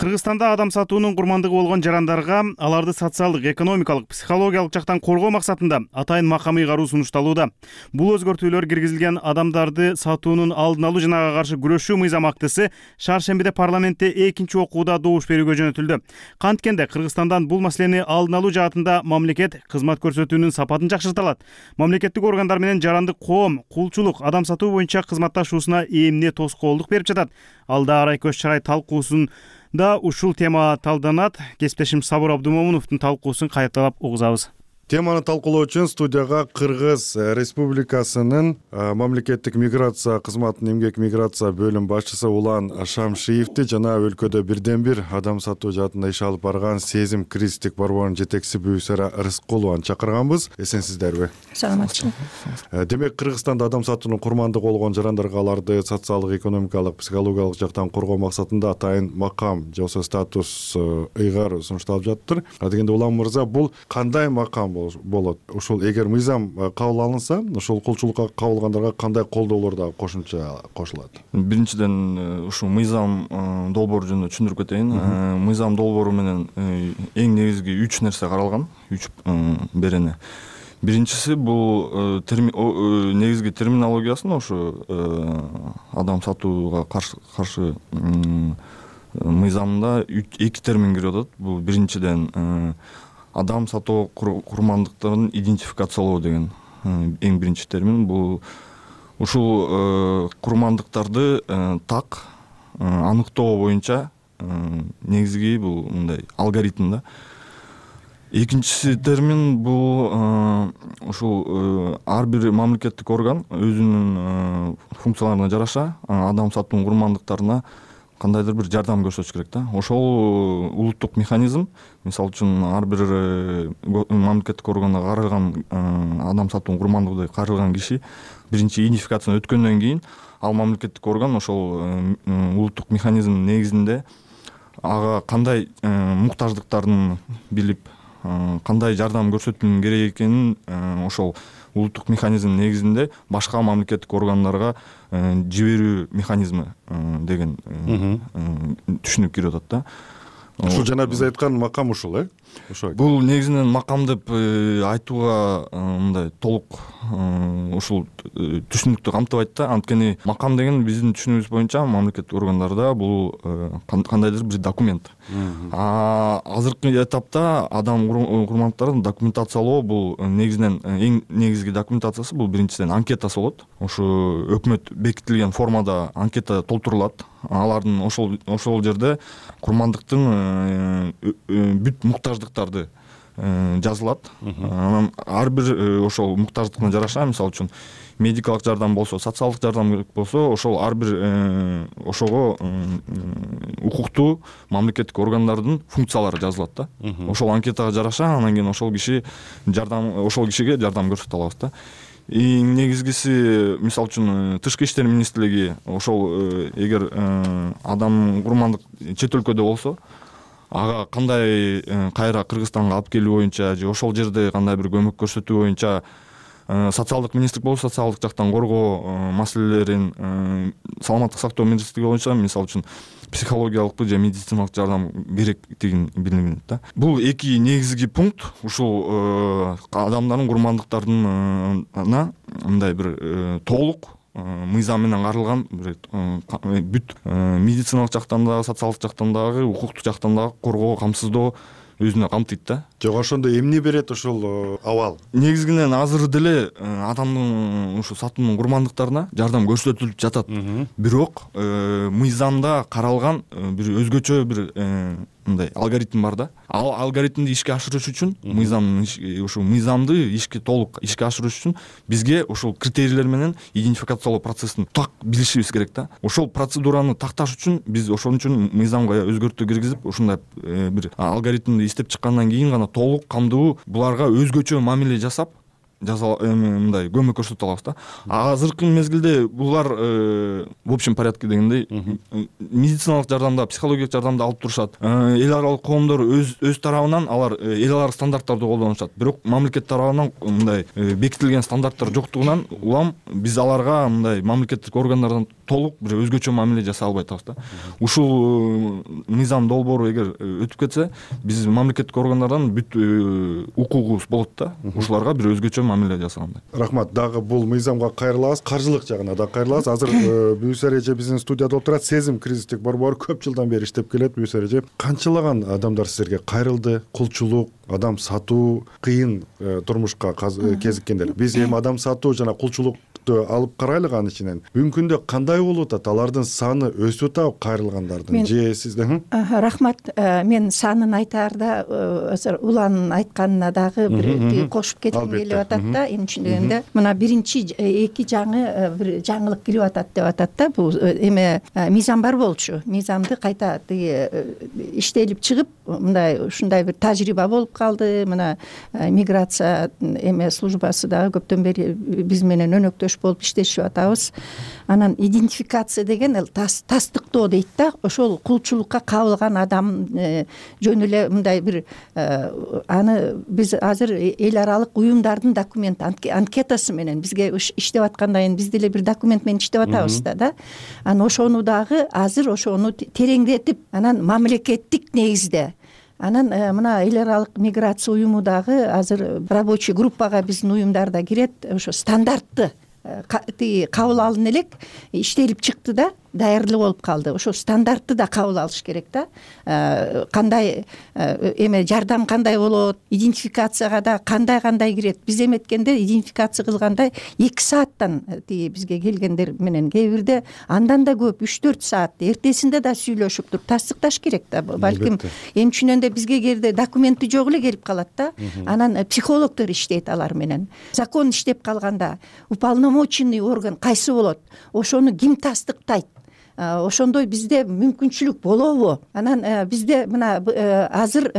Кыргызстанда адам сатуунун курмандыгы болгон жарандарга аларды социалдык, экономикалык, психологиялык жактан коргоо максатында атайын макам ыйгаруу сунушталууда. Бул өзгөртүүлөр киргизилген адамдарды сатуунун алдын алуу жана ага каршы күрөшүү мыйзам актысы шаршембиде парламентте экинчи окууда добуш берүүгө жөнөтүлдү. Канткенде Кыргызстандан бул маселени алдын алуу жаатында мамлекет кызмат көрсөтүүнүн сапатын жакшырта алат. Мамлекеттик органдар менен жарандык коом кулчулук, адам сатуу боюнча кызматташуусуна эмне тоскоолдук берип жатат. Алда Арай Көз Чарай талкуусунда ушул тема талданат. Кесиптешим Сабыр Абдумомуновдун талкуусун кайталап угузабыз. Теманы талкуулоо үчүн студияга Кыргыз Республикасынын мамлекеттик миграция кызматынын эмгек миграция бөлүм башчысы Улан Шамшиевди жана өлкөдө бирден бир адам сатуу жаатында иш алып барган Сезим Кристик борборунун жетекчиси Бүйсара Рыскулованы чакырганбыз. Эсенсиздерби? Саламатчы. Демек Кыргызстанда адам сатуунун курмандыгы болгон жарандарга аларды социалдык, экономикалык, психологиялык жактан коргоо максатында атайын макам же болбосо статус ыйгаруу сунушталып жатыр. Дегенде Улан мырза, бул кандай макам болот? Ушул эгер мыйзам кабыл алынса, ушул кулчулукка кабылгандарга кандай колдоолор да кошумча кошулат? Биринчиден ушул мыйзам долбоору жөнүндө түшүндүрүп кетейин. Мыйзам долбоору менен эң негизги 3 нерсе каралган, 3 берене. Биринчиси бул негизги терминологиясын ошо адам сатууга каршы мыйзамында 2 термин кирип атат. Бул биринчиден адам сатуу курмандыктарын идентификациялоо деген эң биринчи термин. Бул ушул курмандыктарды так аныктоо боюнча негизги бул мындай алгоритм да. Экинчи термин бул ушул ар бир мамлекеттик орган өзүнүн функцияларына жараша адам сатуунун курмандыктарына кандайдыр бир жардам көрсөтүш керек да. Ошол улуттук механизм, мисалы үчүн ар бир мамлекеттик органга каралган адам сатуунун курмандыгы каралган киши биринчи идентификацияны өткөндөн кийин ал мамлекеттик орган ошол улуттук механизм негизинде ага кандай муктаждыктарын билип, кандай жардам көрсөтүүнүн керек экенин ошол улуттук механизм негизинде башка мамлекеттик органдарга жиберүү механизми деген түшүнүк кирип атат да. Ушул жана биз айткан макам ушул, ошо. Бул негизинен макам деп айтууга мындай толук ушул түшүнүктү камтыбайт да. Анткени макам деген биздин түшүнүгүбүз боюнча мамлекеттик органдарда бул кандайдыр бир документ. Азыркы этапта адам курмандыктарын документациялоо бул негизинен эң негизги документациясы бул биринчиден анкетасы болот. Ошо өкмөт бекитилген формада анкета толтурулат. Алардын ошол жерде курмандыктын бүт муктаждыктарды жазылат. Анан ар бир ошол муктаждыгына жараша, мисалы үчүн медикалык жардам болсо, социалдык жардам керек болсо, ошол ар бир ошого укуктуу мамлекеттик органдардын функциялары жазылат да. Ошол анкетага жараша анан кийин ошол кишиге жардам көрсөтө алабыз да. Эң негизгиси, мисалы үчүн Тышкы иштер министрлиги ошол эгер адам курмандык чет өлкөдө болсо, ага кандай кайра Кыргызстанга алып келүү боюнча же ошол жерде кандай бир көмөк көрсөтүү боюнча социалдык министрлик болсо, социалдык жактан коргоо маселелерин, саламаттык сактоо министрлиги боюнча мисалы үчүн психологиялык же медициналык жардам керектигин билинет да. Бул эки негизги пункт ушул адамдардын курмандыктарына мындай бир толук мыйзам менен каралган бүт медициналык жактан дагы, социалдык жактан дагы, укуктук жактан дагы коргоо, камсыздоо өзүнө камтыйт да. Жок, ошондо эмне берет ошол абал? Негизинен азыр деле адамдын ушу сатуунун курмандыктарына жардам көрсөтүлүп жатат. Бирок мыйзамда каралган бир өзгөчө бир мындай алгоритм бар да. Ал алгоритмди ишке ашырыш үчүн ушул мыйзамды толук ишке ашырыш үчүн бизге ошол критерийлер менен идентификациялоо процессин так билишибиз керек да. Ошол процедураны такташ үчүн биз ошон үчүн мыйзамга өзгөртүү киргизип, ушундай бир алгоритмди иштеп чыккандан кийин гана толук камдуу буларга өзгөчө мамиле жасап мындай көмөк көрсөтө алабыз да. Азыркы мезгилде булар в общем порядке дегендей медициналык жардамда, психологиялык жардамды алып турушат. Эл аралык коомдор өз тарабынан алар эл аралык стандарттарды колдонушат. Бирок мамлекет тарабынан мындай бекитилген стандарттар жоктугунан улам биз аларга мындай мамлекеттик органдардан толук бир өзгөчө мамиле жасай албай атабыз да. Ушул мыйзам долбоору эгер өтүп кетсе, биз мамлекеттик органдардан бүт укугубуз болот да. Ушуларга бир өзгөчө мамиле жасагандай. Рахмат. Дагы бул мыйзамга кайрылабыз, каржылык жагына да кайрылабыз. Азыр Бүүсөр эже биздин студияда отурат. Сезим кризистик борбору көп жылдан бери иштеп келет. Бүүсөр эже, канчалаган адамдар силерге кайрылды? Кулчулук, адам сатуу, кыйын турмушка кезиккендер. Биз эми адам сатуу жана кулчулук алып карайлык, анын ичинен бүгүнкү күндө кандай болуп атат? Алардын саны өсүп атабы, кайрылгандардын? Же сиздин? Рахмат. Мен санын айтаарда азыр Уланын айтканына дагы бир кошуп кетким келип атат да. Эми чындыгында мына биринчи эки жаңы бир жаңылык кирип атат деп атат да. Бул эме мыйзам бар болчу. Мыйзамды кайта иштелип чыгып, мындай ушундай бир тажрыйба болуп калды. Мына миграция эме службасы дагы көптөн бери биз менен өнөктөш болуп иштешип атабыз. Анан идентификация деген тастыктоо дейт да. Ошол кулчулукка кабылган адам жөн эле мындай бир аны биз азыр эл аралык уюмдардын документ анкетасы менен бизге иштеп аткандан кийин биз деле бир документ менен иштеп атабыз да. Анан ошону дагы азыр ошону тереңдетип, анан мамлекеттик негизде анан мына эл аралык миграция уюму дагы азыр рабочий группага биздин уюмдарда кирет. Ошо стандартты кабыл алын элек иштелип чыкты да, даярдуу болуп калды. Ошо стандартты да кабыл алыш керек да. Кандай эме жардам кандай болот, идентификацияга да кандай кирет. Биз эметкенде идентификация кылганда 2 сааттан бизге келгендер менен кээ бирде андан да көп 3-4 саат эртесинде да сүйлөшүп туруп тастыкташ керек да. Балким эмчиненде бизге кээде документи жок эле келип калат да. Анан психологдор иштейт алар менен. Закон иштеп калганда уполномоченный орган кайсы болот? Ошону ким тастыктайт? Ошондой бизде мүмкүнчүлүк болобу? Анан бизде мына азыр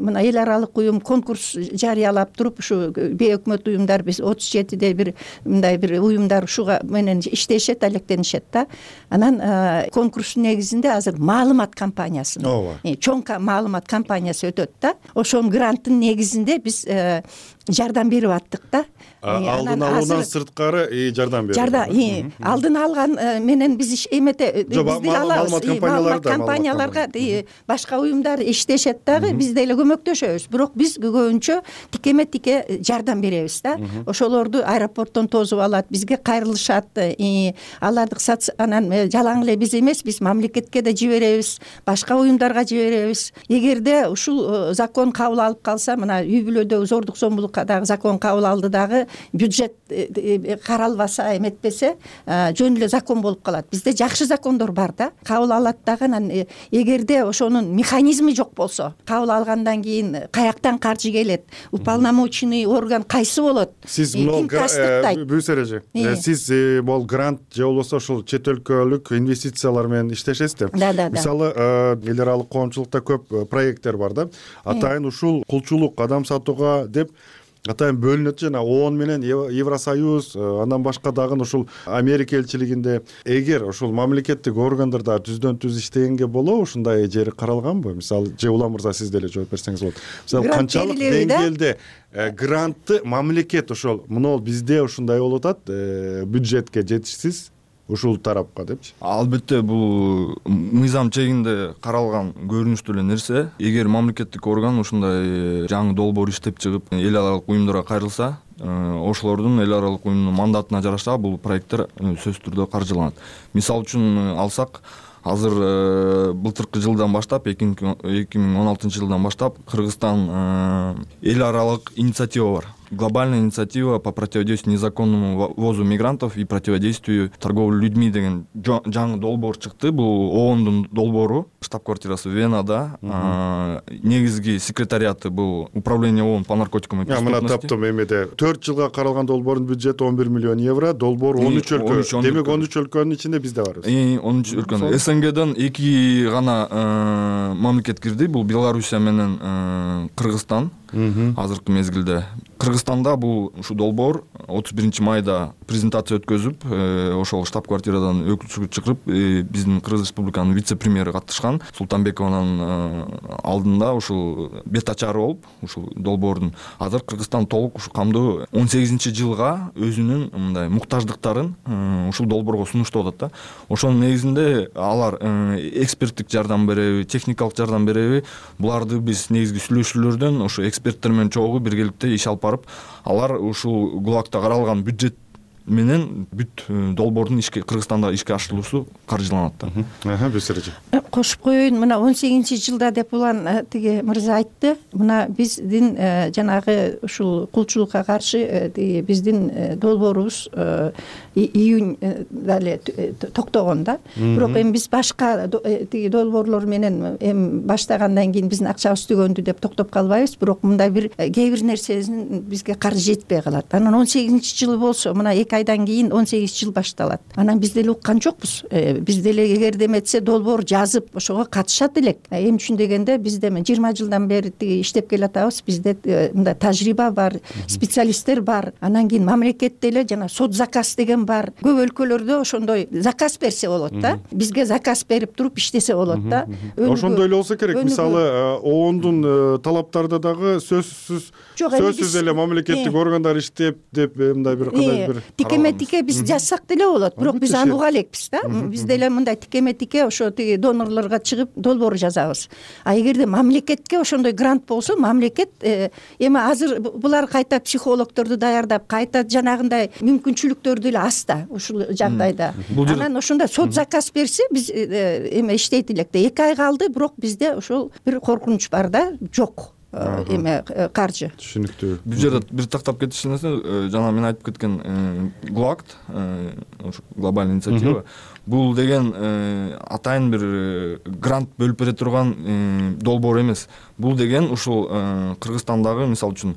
мына эл аралык уюм конкурс жарыялап туруп, ушу бейөкмөт уюмдар биз 37де бир мындай бир уюмдар ушуга менен иштешет, алектенишет да. Анан конкурстун негизинде азыр маалымат кампаниясы, чоң маалымат кампаниясы өтөт да. Ошонун гранттын негизинде биз жардам берип аттык да. Алдын алуудан сырткары жардам берип. Алдын алган менен биз эмете бизди алабыз. Маалымат компанияларга башка уюмдар иштешет дагы, биз деле көмөктөшөбүз. Бирок биз көбүнчө тикеме-тике жардам беребиз да. Ошолорду аэропорттон тосуп алат, бизге кайрылышат. Аларды анан жалаң эле биз эмес, биз мамлекетке да жиберебиз, башка уюмдарга жиберебиз. Эгерде ушул закон кабыл алып калса, мына үй бүлөдө зордук зомбулукка дагы закон кабыл алды дагы, бюджет каралбаса, эметпесе, жөн эле закон болуп калат. Бизде жакшы закондор бар да, кабыл алат дагы. Анан эгерде ошонун механизми жок болсо, кабыл алгандан кийин каяктан каржы келет, уполномоченный орган кайсы болот, сиз ким тастыктайт? Бүүс эреже, сиз могул грант же болбосо ушул чет өлкөлүк инвестициялар менен иштешесиз да. Мисалы эл аралык коомчулукта көп проекттер бар да, атайын ушул кулчулук, адам сатууга деп атайын бөлүнөт. Жана ООН менен Евросоюз, андан башка дагы ушул Америка элчилигинде эгер ушул мамлекеттик органдарда түздөн түз иштегенге болобу, ушундай жери каралганбы? Мисалы, же Улам мырза сиз деле жооп берсеңиз болот. Мисалы, канчалык деңгээлде грантты мамлекет ошол мына бизде ушундай болуп атат, бюджетке жетишсиз ушул тарапка депчи. Албетте бул мыйзам чегинде каралган көрүнүштүү эле нерсе. Эгер мамлекеттик орган ушундай жаңы долбоор иштеп чыгып эл аралык уюмдарга кайрылса, ошолордун эл аралык уюмдун мандатына жараша бул проекттер сөзсүз түрдө каржыланат. Мисалы үчүн алсак, азыр былтыркы жылдан баштап, 2016 жылдан баштап Кыргызстан эл аралык инициатива бар. Глобальная инициатива по противодействию незаконному ввозу мигрантов и противодействию торговле людьми деген жаңы долбоор чыкты. Бул ООНдун долбоору, штаб-квартирасы Венада, негизги секретариаты бул управление ООН по наркотикам и преступности. Мына таптым эмеде 4 жылга каралган долбоордун бюджети 11 миллион евро, долбоор 13 өлкө. Демек 13 өлкөнүн ичинде биз да барбыз. 13 өлкөнү. СНГден 2 гана мамлекет кирди. Бул Белоруссия менен Кыргызстан. Азыркы мезгилде Кыргызстанда бул ушу долбоор 31 майда презентация өткөзүп, ошол штаб-квартирадан өкүлчүлүк чакырып, биздин Кыргыз Республиканын вице-премьери катышкан. Султанбекованын алдында ушул бет ачары болуп, ушул долбоордун азыр Кыргызстан толук ушу камдуу 18-жылга өзүнүн мындай муктаждыктарын ушул долбоорго сунуштап атат да. Ошонун негизинде алар эксперттик жардам береби, техникалык жардам береби, буларды биз негизги сүйлөшүүлөрдөн ушу эксперттер менен чогуу биргеликте иш алып барып, алар ушул ГУЛАГта каралган бюджет менен бүт долбоордун Кыргызстанда ишке ашырылуусу каржыланат да. Бесереже. Кошуп коеюн, мына 18-жылда деп улан тиги мырза айтты. Мына биздин жанагы ушул кулчулукка каршы биздин долбоорубуз июньда эле токтогон да. Бирок эми биз башка тиги долбоорлор менен эми баштагандан кийин биздин акчабыз түгөндү деп токтоп калбайбыз. Бирок мындай кээ бир нерсенин бизге каржы жетпей калат. Анан 18-жылы болсо, мына 2 айдан кийин 18 жыл башталат. Анан биз деле уккан жокпуз. Биз деле эгерде эметсе долбоор жазып ошого катышат элек. Эми үчүн дегенде бизде 20 жылдан бери иштеп келатабыз. Бизде мындай тажрыйба бар, специалисттер бар. Анан кийин мамлекетте эле жана сот заказ деген бар. Көп өлкөлөрдө ошондой заказ берсе болот да. Бизге заказ берип туруп иштесе болот да. Ошондой эле болсо керек. Мисалы, ООНдун талаптарында дагы сөзсүз эле мамлекеттик органдар иштеп деп мындай бир кандай бир тикеме-тике биз жазсак деле болот. Бирок биз аны уга элекпиз да. Биз деле мындай тикеме-тике ошо тиги донорлорго чыгып долбоор жазабыз. А эгерде мамлекетке ошондой грант болсо, мамлекет эми азыр булар кайта психологдорду даярдап, кайта жанагындай мүмкүнчүлүктөрдү эле аз да ушул жагдайда. Анан ошондо сот заказ берсе, биз эме иштейт элек да. 2 ай калды, бирок бизде ошол бир коркунуч бар да, жок. Эме каржы. Түшүнүктүү. Бул жерде бир тактап кетиш нерсе, жана мен айтып кеткен ГУЛАГ, ошо глобальный инициатива, бул деген атайын бир грант бөлүп бере турган долбоор эмес. Бул деген ушул Кыргызстандагы, мисалы үчүн,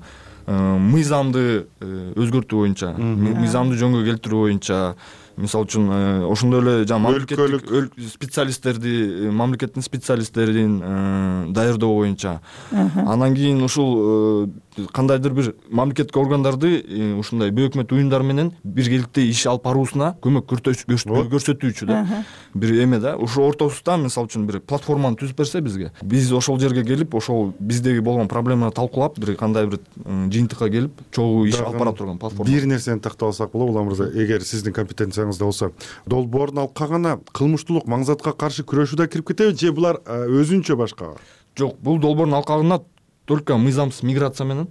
мыйзамды өзгөртүү боюнча, мыйзамды жөнгө келтирүү боюнча, мисалы үчүн ошондой эле жана мамлекеттик специалисттерди, мамлекеттин специалисттерин даярдоо боюнча, анан кийин ушул кандайдыр бир мамлекеттик органдарды ушундай бейөкмөт уюмдар менен биргеликте иш алып баруусуна көмөк көрсөтүүчү да бир эме да. Ошол ортосунда мисалы үчүн бир платформаны түзүп берсе бизге, биз ошол жерге келип, ошол биздеги болгон проблеманы талкуулап, бир кандай бир жыйынтыкка келип, чогуу иш алып бара турган платформа. Бир нерсени тактап алсак болобу, Улам мырза, эгер сиздин компетенцияңызда болсо, долбоордун алкагына кылмыштуулук, маңзатка каршы күрөшүү да кирип кетеби, же булар өзүнчө башка? Жок, бул долбоордун алкагына только мыйзамсыз миграция менен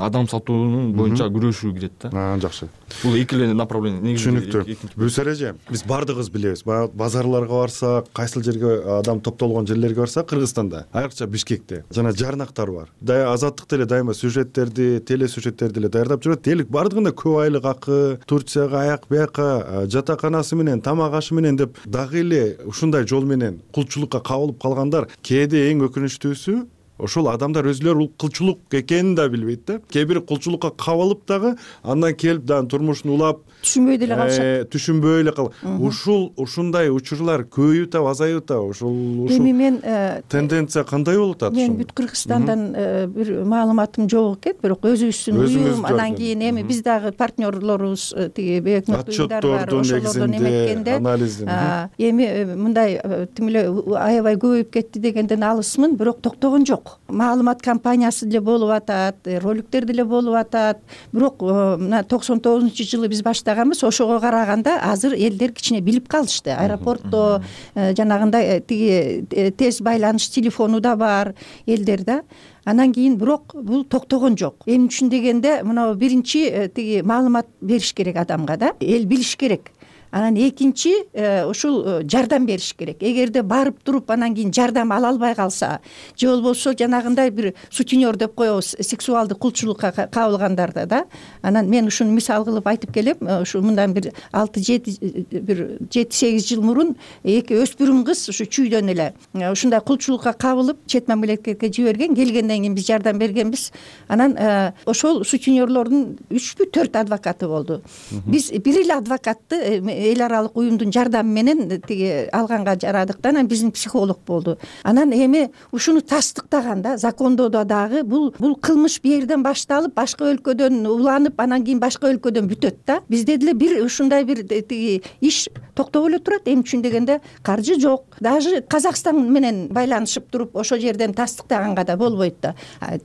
адам сатуунун боюнча күрөшүү кирет да. Жакшы. Бул эки эле направление. Түшүнүктүү. Бүсөр эже, биз бардыгыбыз билебиз. Базарларга барсак, кайсыл жерге адам топтолгон жерлерге барсак, Кыргызстанда, айрыкча Бишкекте жана жарнактар бар. Азаттык деле дайыма сюжеттерди, телесюжеттерди эле даярдап жүрөт. Элик бардыгында көп айлык акы, Турцияга аяк бияка, жатаканасы менен, тамак ашы менен деп дагы эле ушундай жол менен кулчулукка кабылып калгандар. Кээде эң өкүнүчтүүсү ошол адамдар өзүлөрү бул кулчулук экенин да билбейт да. Кээ бир кулчулукка кабылып дагы андан келип дагы турмушун улап түшүнбөй деле калышат. Түшүнбөй эле ушундай учурлар көбөйүп атабы, азайып атабы? Эми мен тенденция кандай болуп атат? Мен бүт Кыргызстандан бир маалыматым жок экен, бирок өзүбүздүн уюм, анан кийин эми биз дагы партнерлорубуз тиги өкмөт уюмдар бар, ошолордон эметкенде эми мындай тим эле аябай көбөйүп кетти дегенден алысмын, бирок токтогон жок. Маалымат кампаниясы деле болуп атат, роликтер деле болуп атат, бирок мына 99-жылы биз баштаганбыз, ошого караганда азыр элдер кичине билип калышты. Аэропортто жанагындай тиги тез байланыш телефону да бар элдер да. Анан кийин бирок бул токтогон жок. Эмне үчүн дегенде, мына биринчи тиги маалымат бериш керек адамга да, эл билиш керек. Анан экинчи ушул жардам бериш керек. Эгерде барып туруп анан кийин жардам ала албай калса, же болбосо жанагындай бир сутенер деп коебуз, сексуалдык кулчулукка кабылгандарда да. Анан мен ушуну мисал кылып айтып келем. Ушу мындан бир 7-8 жыл мурун эки өспүрүм кыз ушу чүйдөн эле ушундай кулчулукка кабылып чет мамлекетке жиберген. Келгенден кийин биз жардам бергенбиз. Анан ошол сутенерлордун 3-4 адвокаты болду. Биз бир эле адвокатты эл аралык уюмдун жардамы менен тиги алганга жарадык да. Анан биздин психолог болду. Анан эми ушуну тастыктаганда закондоодо дагы бул кылмыш бу жерден башталып, башка өлкөдөн уланып, анан кийин башка өлкөдөн бүтөт да. Бизде деле бир ушундай бир тиги иш токтоп эле турат. Эмне үчүн дегенде, каржы жок. Даже Казакстан менен байланышып туруп ошол жерден тастыктаганга да болбойт да.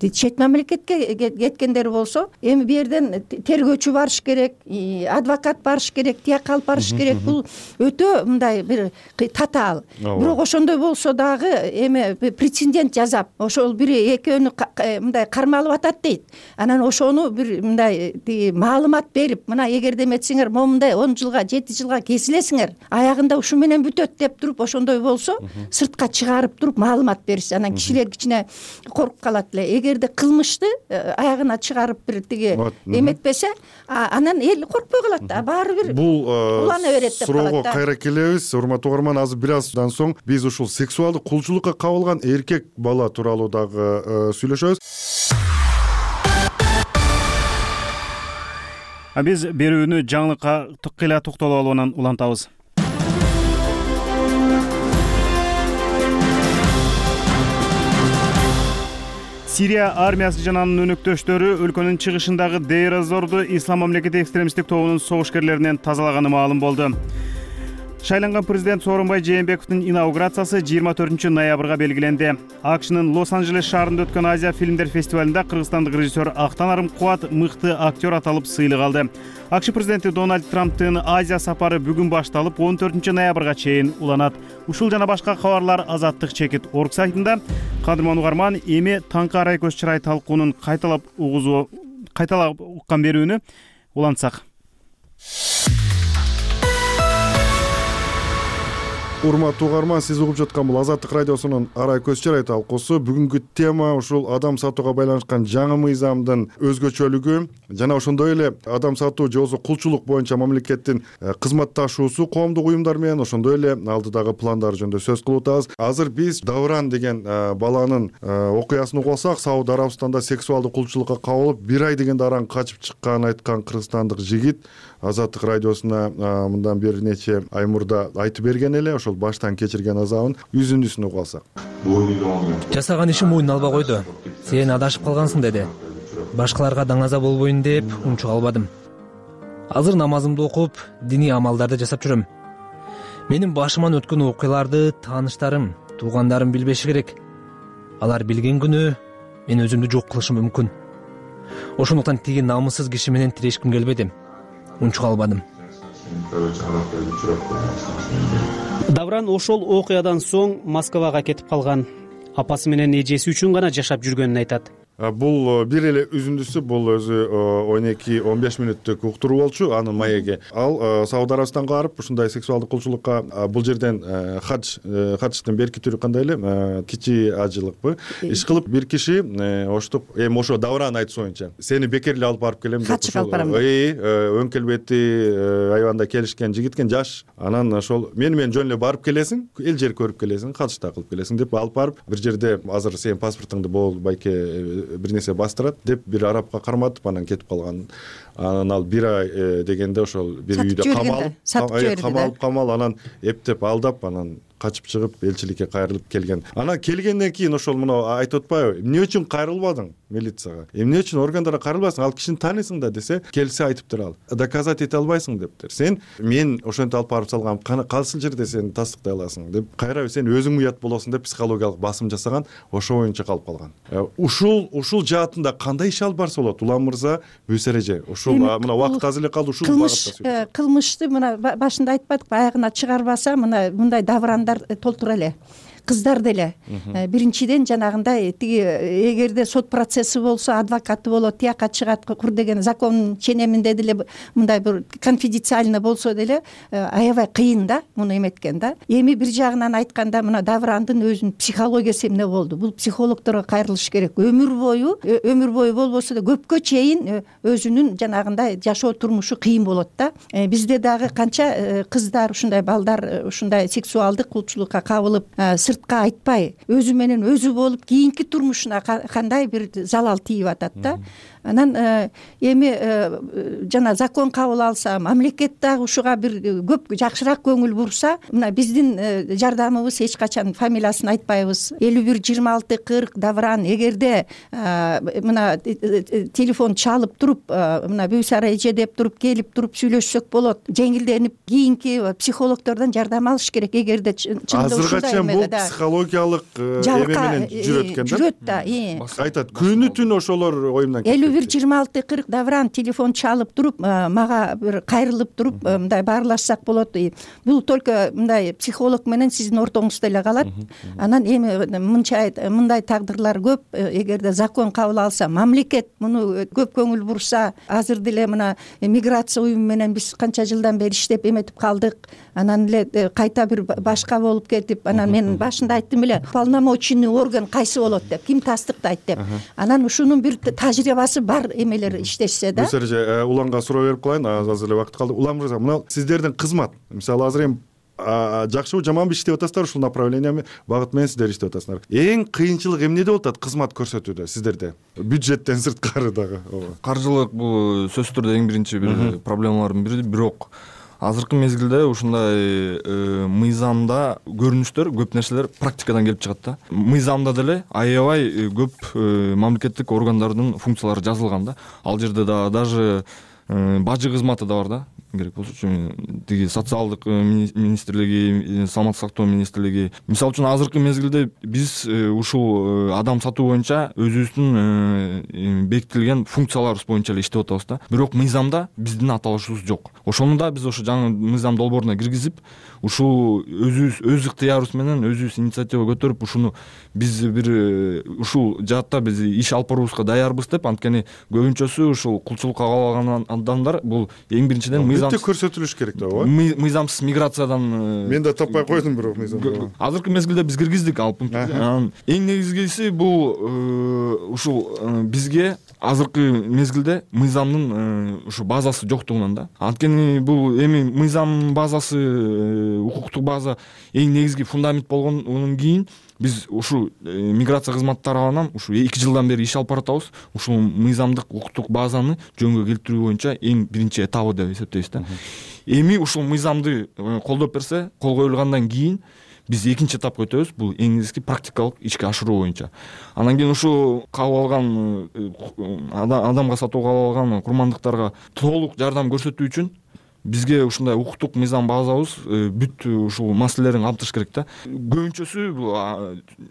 Чет мамлекетке кеткендер болсо, эми бу жерден тергөөчү барыш керек, адвокат барыш керек, тияк алып барыш керек. Бул өтө мындай бир татаал. Бирок ошондой болсо дагы эми прецедент жасап, ошол бири экөөнү мындай кармалып атат дейт. Анан ошону бир мындай маалымат берип, мына эгерде эметсеңер, момундай 10 жылга, 7 жылга кесилесиңер, аягында ушу менен бүтөт деп туруп, ошондой болсо сыртка чыгарып туруп маалымат беришсе, анан кишилер кичине коркуп калат эле. Эгерде кылмышты аягына чыгарып бир тиги эметпесе, анан эл коркпой калат да. Баары бир суроого кайра келебиз. Урматтуу угарман, азыр бир аздан соң биз ушул сексуалдык кулчулукка кабылган эркек бала тууралуу дагы сүйлөшөбүз. Биз берүүнү жаңылыкка тыкыла токтолуп алып анан улантабыз. Сирия армиясы жана анын өнөктөштөрү өлкөнүн чыгышындагы Дейр-эз-Зорду Ислам мамлекети экстремисттик тобунун согушкерлеринен тазалаганы маалым болду. Шайланган президент Сооронбай Жээнбековдун инаугурациясы 24 ноябрга белгиленди. АКШнын Лос-Анджелес шаарында өткөн Азия фильмдер фестивалында кыргызстандык режиссер Актан Арымкубат мыкты актер аталып сыйлык алды. АКШ президенти Дональд Трамптын Азия сапары бүгүн башталып 14 ноябрга чейин уланат. Ушул жана башка кабарлар Азаттык чекит орг сайтында. Кадырман угарман, эми таңкы арай көз чырай талкуунун кайталап уккан берүүнү улантсак. Урматтуу угарман, сиз угуп жаткан бул Азаттык радиосунун арай көз чырай талкуусу. Бүгүнкү тема ушул адам сатууга байланышкан жаңы мыйзамдын өзгөчөлүгү жана ошондой эле адам сатуу же болбосо кулчулук боюнча мамлекеттин кызматташуусу коомдук уюмдар менен, ошондой эле алдыдагы пландары жөнүндө сөз кылып атабыз. Азыр биз Давран деген баланын окуясын угуп алсак, Сауд Арабистанда сексуалдык кулчулукка кабылып 1 ай дегенде аран качып чыкканын айткан кыргызстандык жигит Азаттык радиосуна мындан бир нече ай мурда айтып берген эле. Ошол баштан кечирген азабын үзүндүсүн угуп алсак. Жасаган ишин мойнуна албай койду. Сен адашып калгансың деди. Башкаларга даңаза болбойн деп унчук албадым. Азыр намазымды окуп, диний амалдарды жасап жүрөм. Менин башыман өткөн окуяларды тааныштарым, туугандарым билбеши керек. Алар билген күнү мен өзүмдү жок кылышым мүмкүн. Ошондуктан тиги намыссыз киши менен тирешким келбеди. Унчук албадым. Давран ошол окуядан соң Москвага кетип калган. апасы менен эжеси үчүн гана жашап жүргөнүн айтат. Бул бир эле үзүндүсү, бул өзү 12-15 мүнөттүк уктуруу болчу анын маеги. Ал Сауд Арабистанга барып ушундай сексуалдык кулчулукка бул жерден хадштын берки түрү кандай эле кичи ажылыкпы иш кылып бир киши оштуп ошо Давран айтышы боюнча сени бекер эле алып барып келем деп өң келбети айбанда келишкен жигит экен, жаш. Анан ошол менен жөн эле барып келесиң, эл жер көрүп келесиң, хадш да кылып келесиң деп алып барып бир жерде азыр сенин паспортуңду болбайке бир нерсе бастырат деп бир арабка карматып анан кетип калган. Анан ал бир ай дегенде ошол бир үйдө камалып анан эптеп алдап анан качып чыгып элчиликке кайрылып келген. Анан келгенден кийин ошол мына айтып атпайбы, эмне үчүн кайрылбадың милицияга, эмне үчүн органдарга кайрылбайсың, ал кишини тааныйсың да десе, келсе айтыптыр ал доказать эте албайсың дептир. Сен мен ошентип алып барып салгам, кайсы жерде сен тастыктай аласың деп кайра сен өзүң уят болосуң деп психологиялык басым жасаган, ошо боюнча калып калган. Ушул жаатында кандай иш алып барса болот Улам мырза, Бүйс эреже? Ушул мына убакыт аз эле калды, ушул багытта кылмышты мына башында айтпадыкпы, аягына чыгарбаса мына мындай даврандар толтура эле. Кыздар деле биринчиден жанагындай тиги эгерде сот процесси болсо адвокаты болот, тияка чыгат кур деген закон ченеминде деле мындай бир конфиденциально болсо деле аябай кыйын да муну эметкен да. Эми бир жагынан айтканда мына Даврандын өзүнүн психологиясы эмне болду? Бул психологторго кайрылыш керек. Өмүр бою болбосо да көпкө чейин өзүнүн жанагындай жашоо турмушу кыйын болот да. Бизде дагы канча кыздар ушундай балдар ушундай сексуалдык кулчулукка кабылып сыртка айтпай өзү менен өзү болуп кийинки турмушуна кандай бир залал тийип атат да. Анан эми жана закон кабыл алса, мамлекет дагы ушуга бир көп жакшыраак көңүл бурса, мына биздин жардамыбыз эч качан фамилиясын айтпайбыз. 51-26-40 Давран эгерде мына телефон чалып туруп, мына Бүйс эреже деп туруп келип туруп сүйлөшсөк болот. Жеңилденип кийинки психологдордон жардам алыш керек эгерде чынында ушундай бул психологиялык эме менен жүрөт экен да. Жүрөт да. Айтат, күнү түн ошолор оюмдан кетет. 51-26-40 Давран телефон чалып туруп, мага бир кайрылып туруп, мындай баарлашсак болот. Бул только мындай психолог менен сиздин ортоңузда эле калат. Анан эми мындай тагдырлар көп. Эгерде закон кабыл алса, мамлекет муну көп көңүл бурса, азыр деле мына миграция уюму менен биз канча жылдан бери иштеп эметип калдык. Анан эле кайта бир башка болуп кетип, анан мен башында айттым эле, уполномоченный орган кайсы болот деп, ким тастыктайт деп. Анан ушунун бир тажрыйбасы бар эмелер иштешсе да. Бүйс эреже, Уланга суроо берип калайын, аз эле убакыт калды. Улам мырза, мына сиздердин кызмат, мисалы азыр эми жакшыбы жаманбы иштеп атасыздар, ушул направленияны багыт менен сиздер иштеп атасыңар. Эң кыйынчылык эмнеде болуп атат кызмат көрсөтүүдө сиздерде? Бюджеттен сырткары дагы. Каржылык бул сөзсүз түрдө эң биринчи бир проблемалардын бири, бирок азыркы мезгилде ушундай мыйзамда көрүнүштөр, көп нерселер практикадан келип чыгат да. Мыйзамда деле аябай көп мамлекеттик органдардын функциялары жазылган да. Ал жерде да даже бажы кызматы да бар да. Керек болсочу тиги социалдык министрлиги, саламаттык сактоо министрлиги. Мисалы үчүн азыркы мезгилде биз ушул адам сатуу боюнча өзүбүздүн бекитилген функцияларыбыз боюнча эле иштеп атабыз да. Бирок мыйзамда биздин аталышыбыз жок. Ошону да биз ошо жаңы мыйзам долбооруна киргизип, ушул өз ыктыярыбыз менен өзүбүз инициатива көтөрүп, ушуну биз бир ушул жаатта биз иш алып баруубузга даярбыз деп, анткени көбүнчөсү ушул кулчулукка кабыл алган адамдар бул эң биринчиден көрсөтүлүш керек да, ооба. Мыйзамсыз миграциядан мен да таппай койдум бирок мыйзам. Азыркы мезгилде биз киргиздик ал пунктты. Эң негизгиси бул ушул бизге азыркы мезгилде мыйзамдын ушу базасы жоктугунан да. Анткени бул эми мыйзам базасы, укуктук база эң негизги фундамент болгондон кийин биз ушул миграция кызматы тарабынан ушу 2 жылдан бери иш алып баратабыз. Ушул мыйзамдык укуктук базаны жөнгө келтирүү боюнча эң биринчи этабы деп эсептейбиз да. Эми ушул мыйзамды колдоп берсе, кол коюлгандан кийин биз экинчи этапка өтөбүз. Бул эң негизги практикалык ишке ашыруу боюнча. Анан кийин ушул кабыл алган адамга сатууга кабыл алган курмандыктарга толук жардам көрсөтүү үчүн бизге ушундай укуктук мыйзам базабыз бүт ушул маселелерин камтыш керек да. Көбүнчөсү бул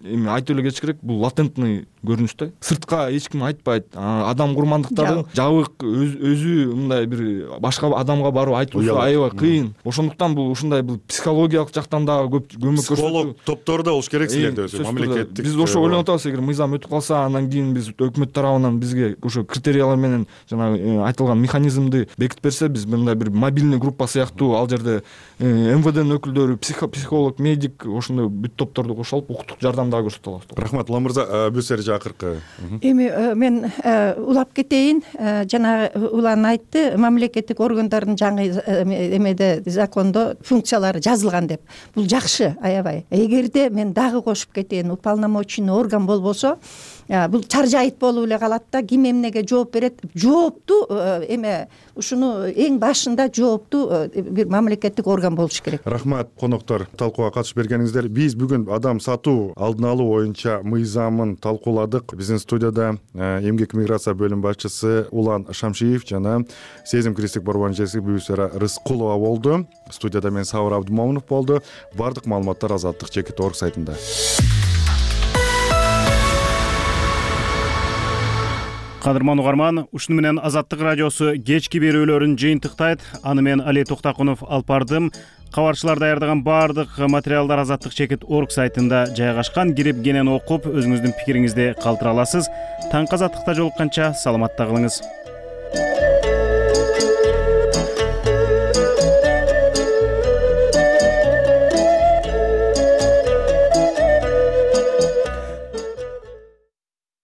эми айтып эле кетиш керек, бул латентный көрүнүш да. Сыртка эч ким айтпайт. Адам курмандыктарын жабык өзү мындай бир башка адамга барып айтуусу аябай кыйын. Ошондуктан бул ушундай бул психологиялык жактан дагы көп көмөк көрсөтүү. Психолог топтору да болуш керек силерде өзү мамлекеттик. Биз ошо ойлонуп атабыз, эгер мыйзам өтүп калса, андан кийин биз өкмөт тарабынан бизге ошо критериялар менен жанагы айтылган механизмди бекитип берсе, биз мындай бир мобильный группа сыяктуу ал жерде МВДнын өкүлдөрү, психолог, медик ошондой бүт топторду кошуп алып укуктук жардам дагы көрсөтө алабыз. Рахмат Улан мырза, бүсер акыркы. Эми мен улап кетейин. Жанагы Улан айтты, мамлекеттик органдардын жаңы эмеде закондо функциялары жазылган деп. Бул жакшы, аябай. Эгерде мен дагы кошуп кетейин, уполномоченный орган болбосо, бул чаржайыт болуп эле калат да, ким эмнеге жооп берет? Жоопту эме ушуну эң башында жоопту бир мамлекеттик орган болуш керек. Рахмат коноктор, талкууга катышып бергениңиздер. Биз бүгүн адам сатуу алдын алуу боюнча мыйзамын талкууладык. Биздин студияда эмгек миграция бөлүм башчысы Улан Шамшиев жана Сезим кристик борборунун жетекчиси Бүсера Рыскулова болду. Студияда мен Сабыр Абдымомунов болду. Бардык маалыматтар Азаттык Чекит.org сайтында. Кадырман угарман, ушуну менен Азаттык радиосу кечки берүүлөрүн жыйынтыктайт. Аны мен Али Токтакунов алып бардым. Кабарчылар даярдаган баардык материалдар Азаттык Чекит.org сайтында жайгашкан. Кирип кенен окуп, өзүңүздүн пикириңизди калтыра аласыз. Таңкы Азаттыкта жолукканча саламатта калыңыз.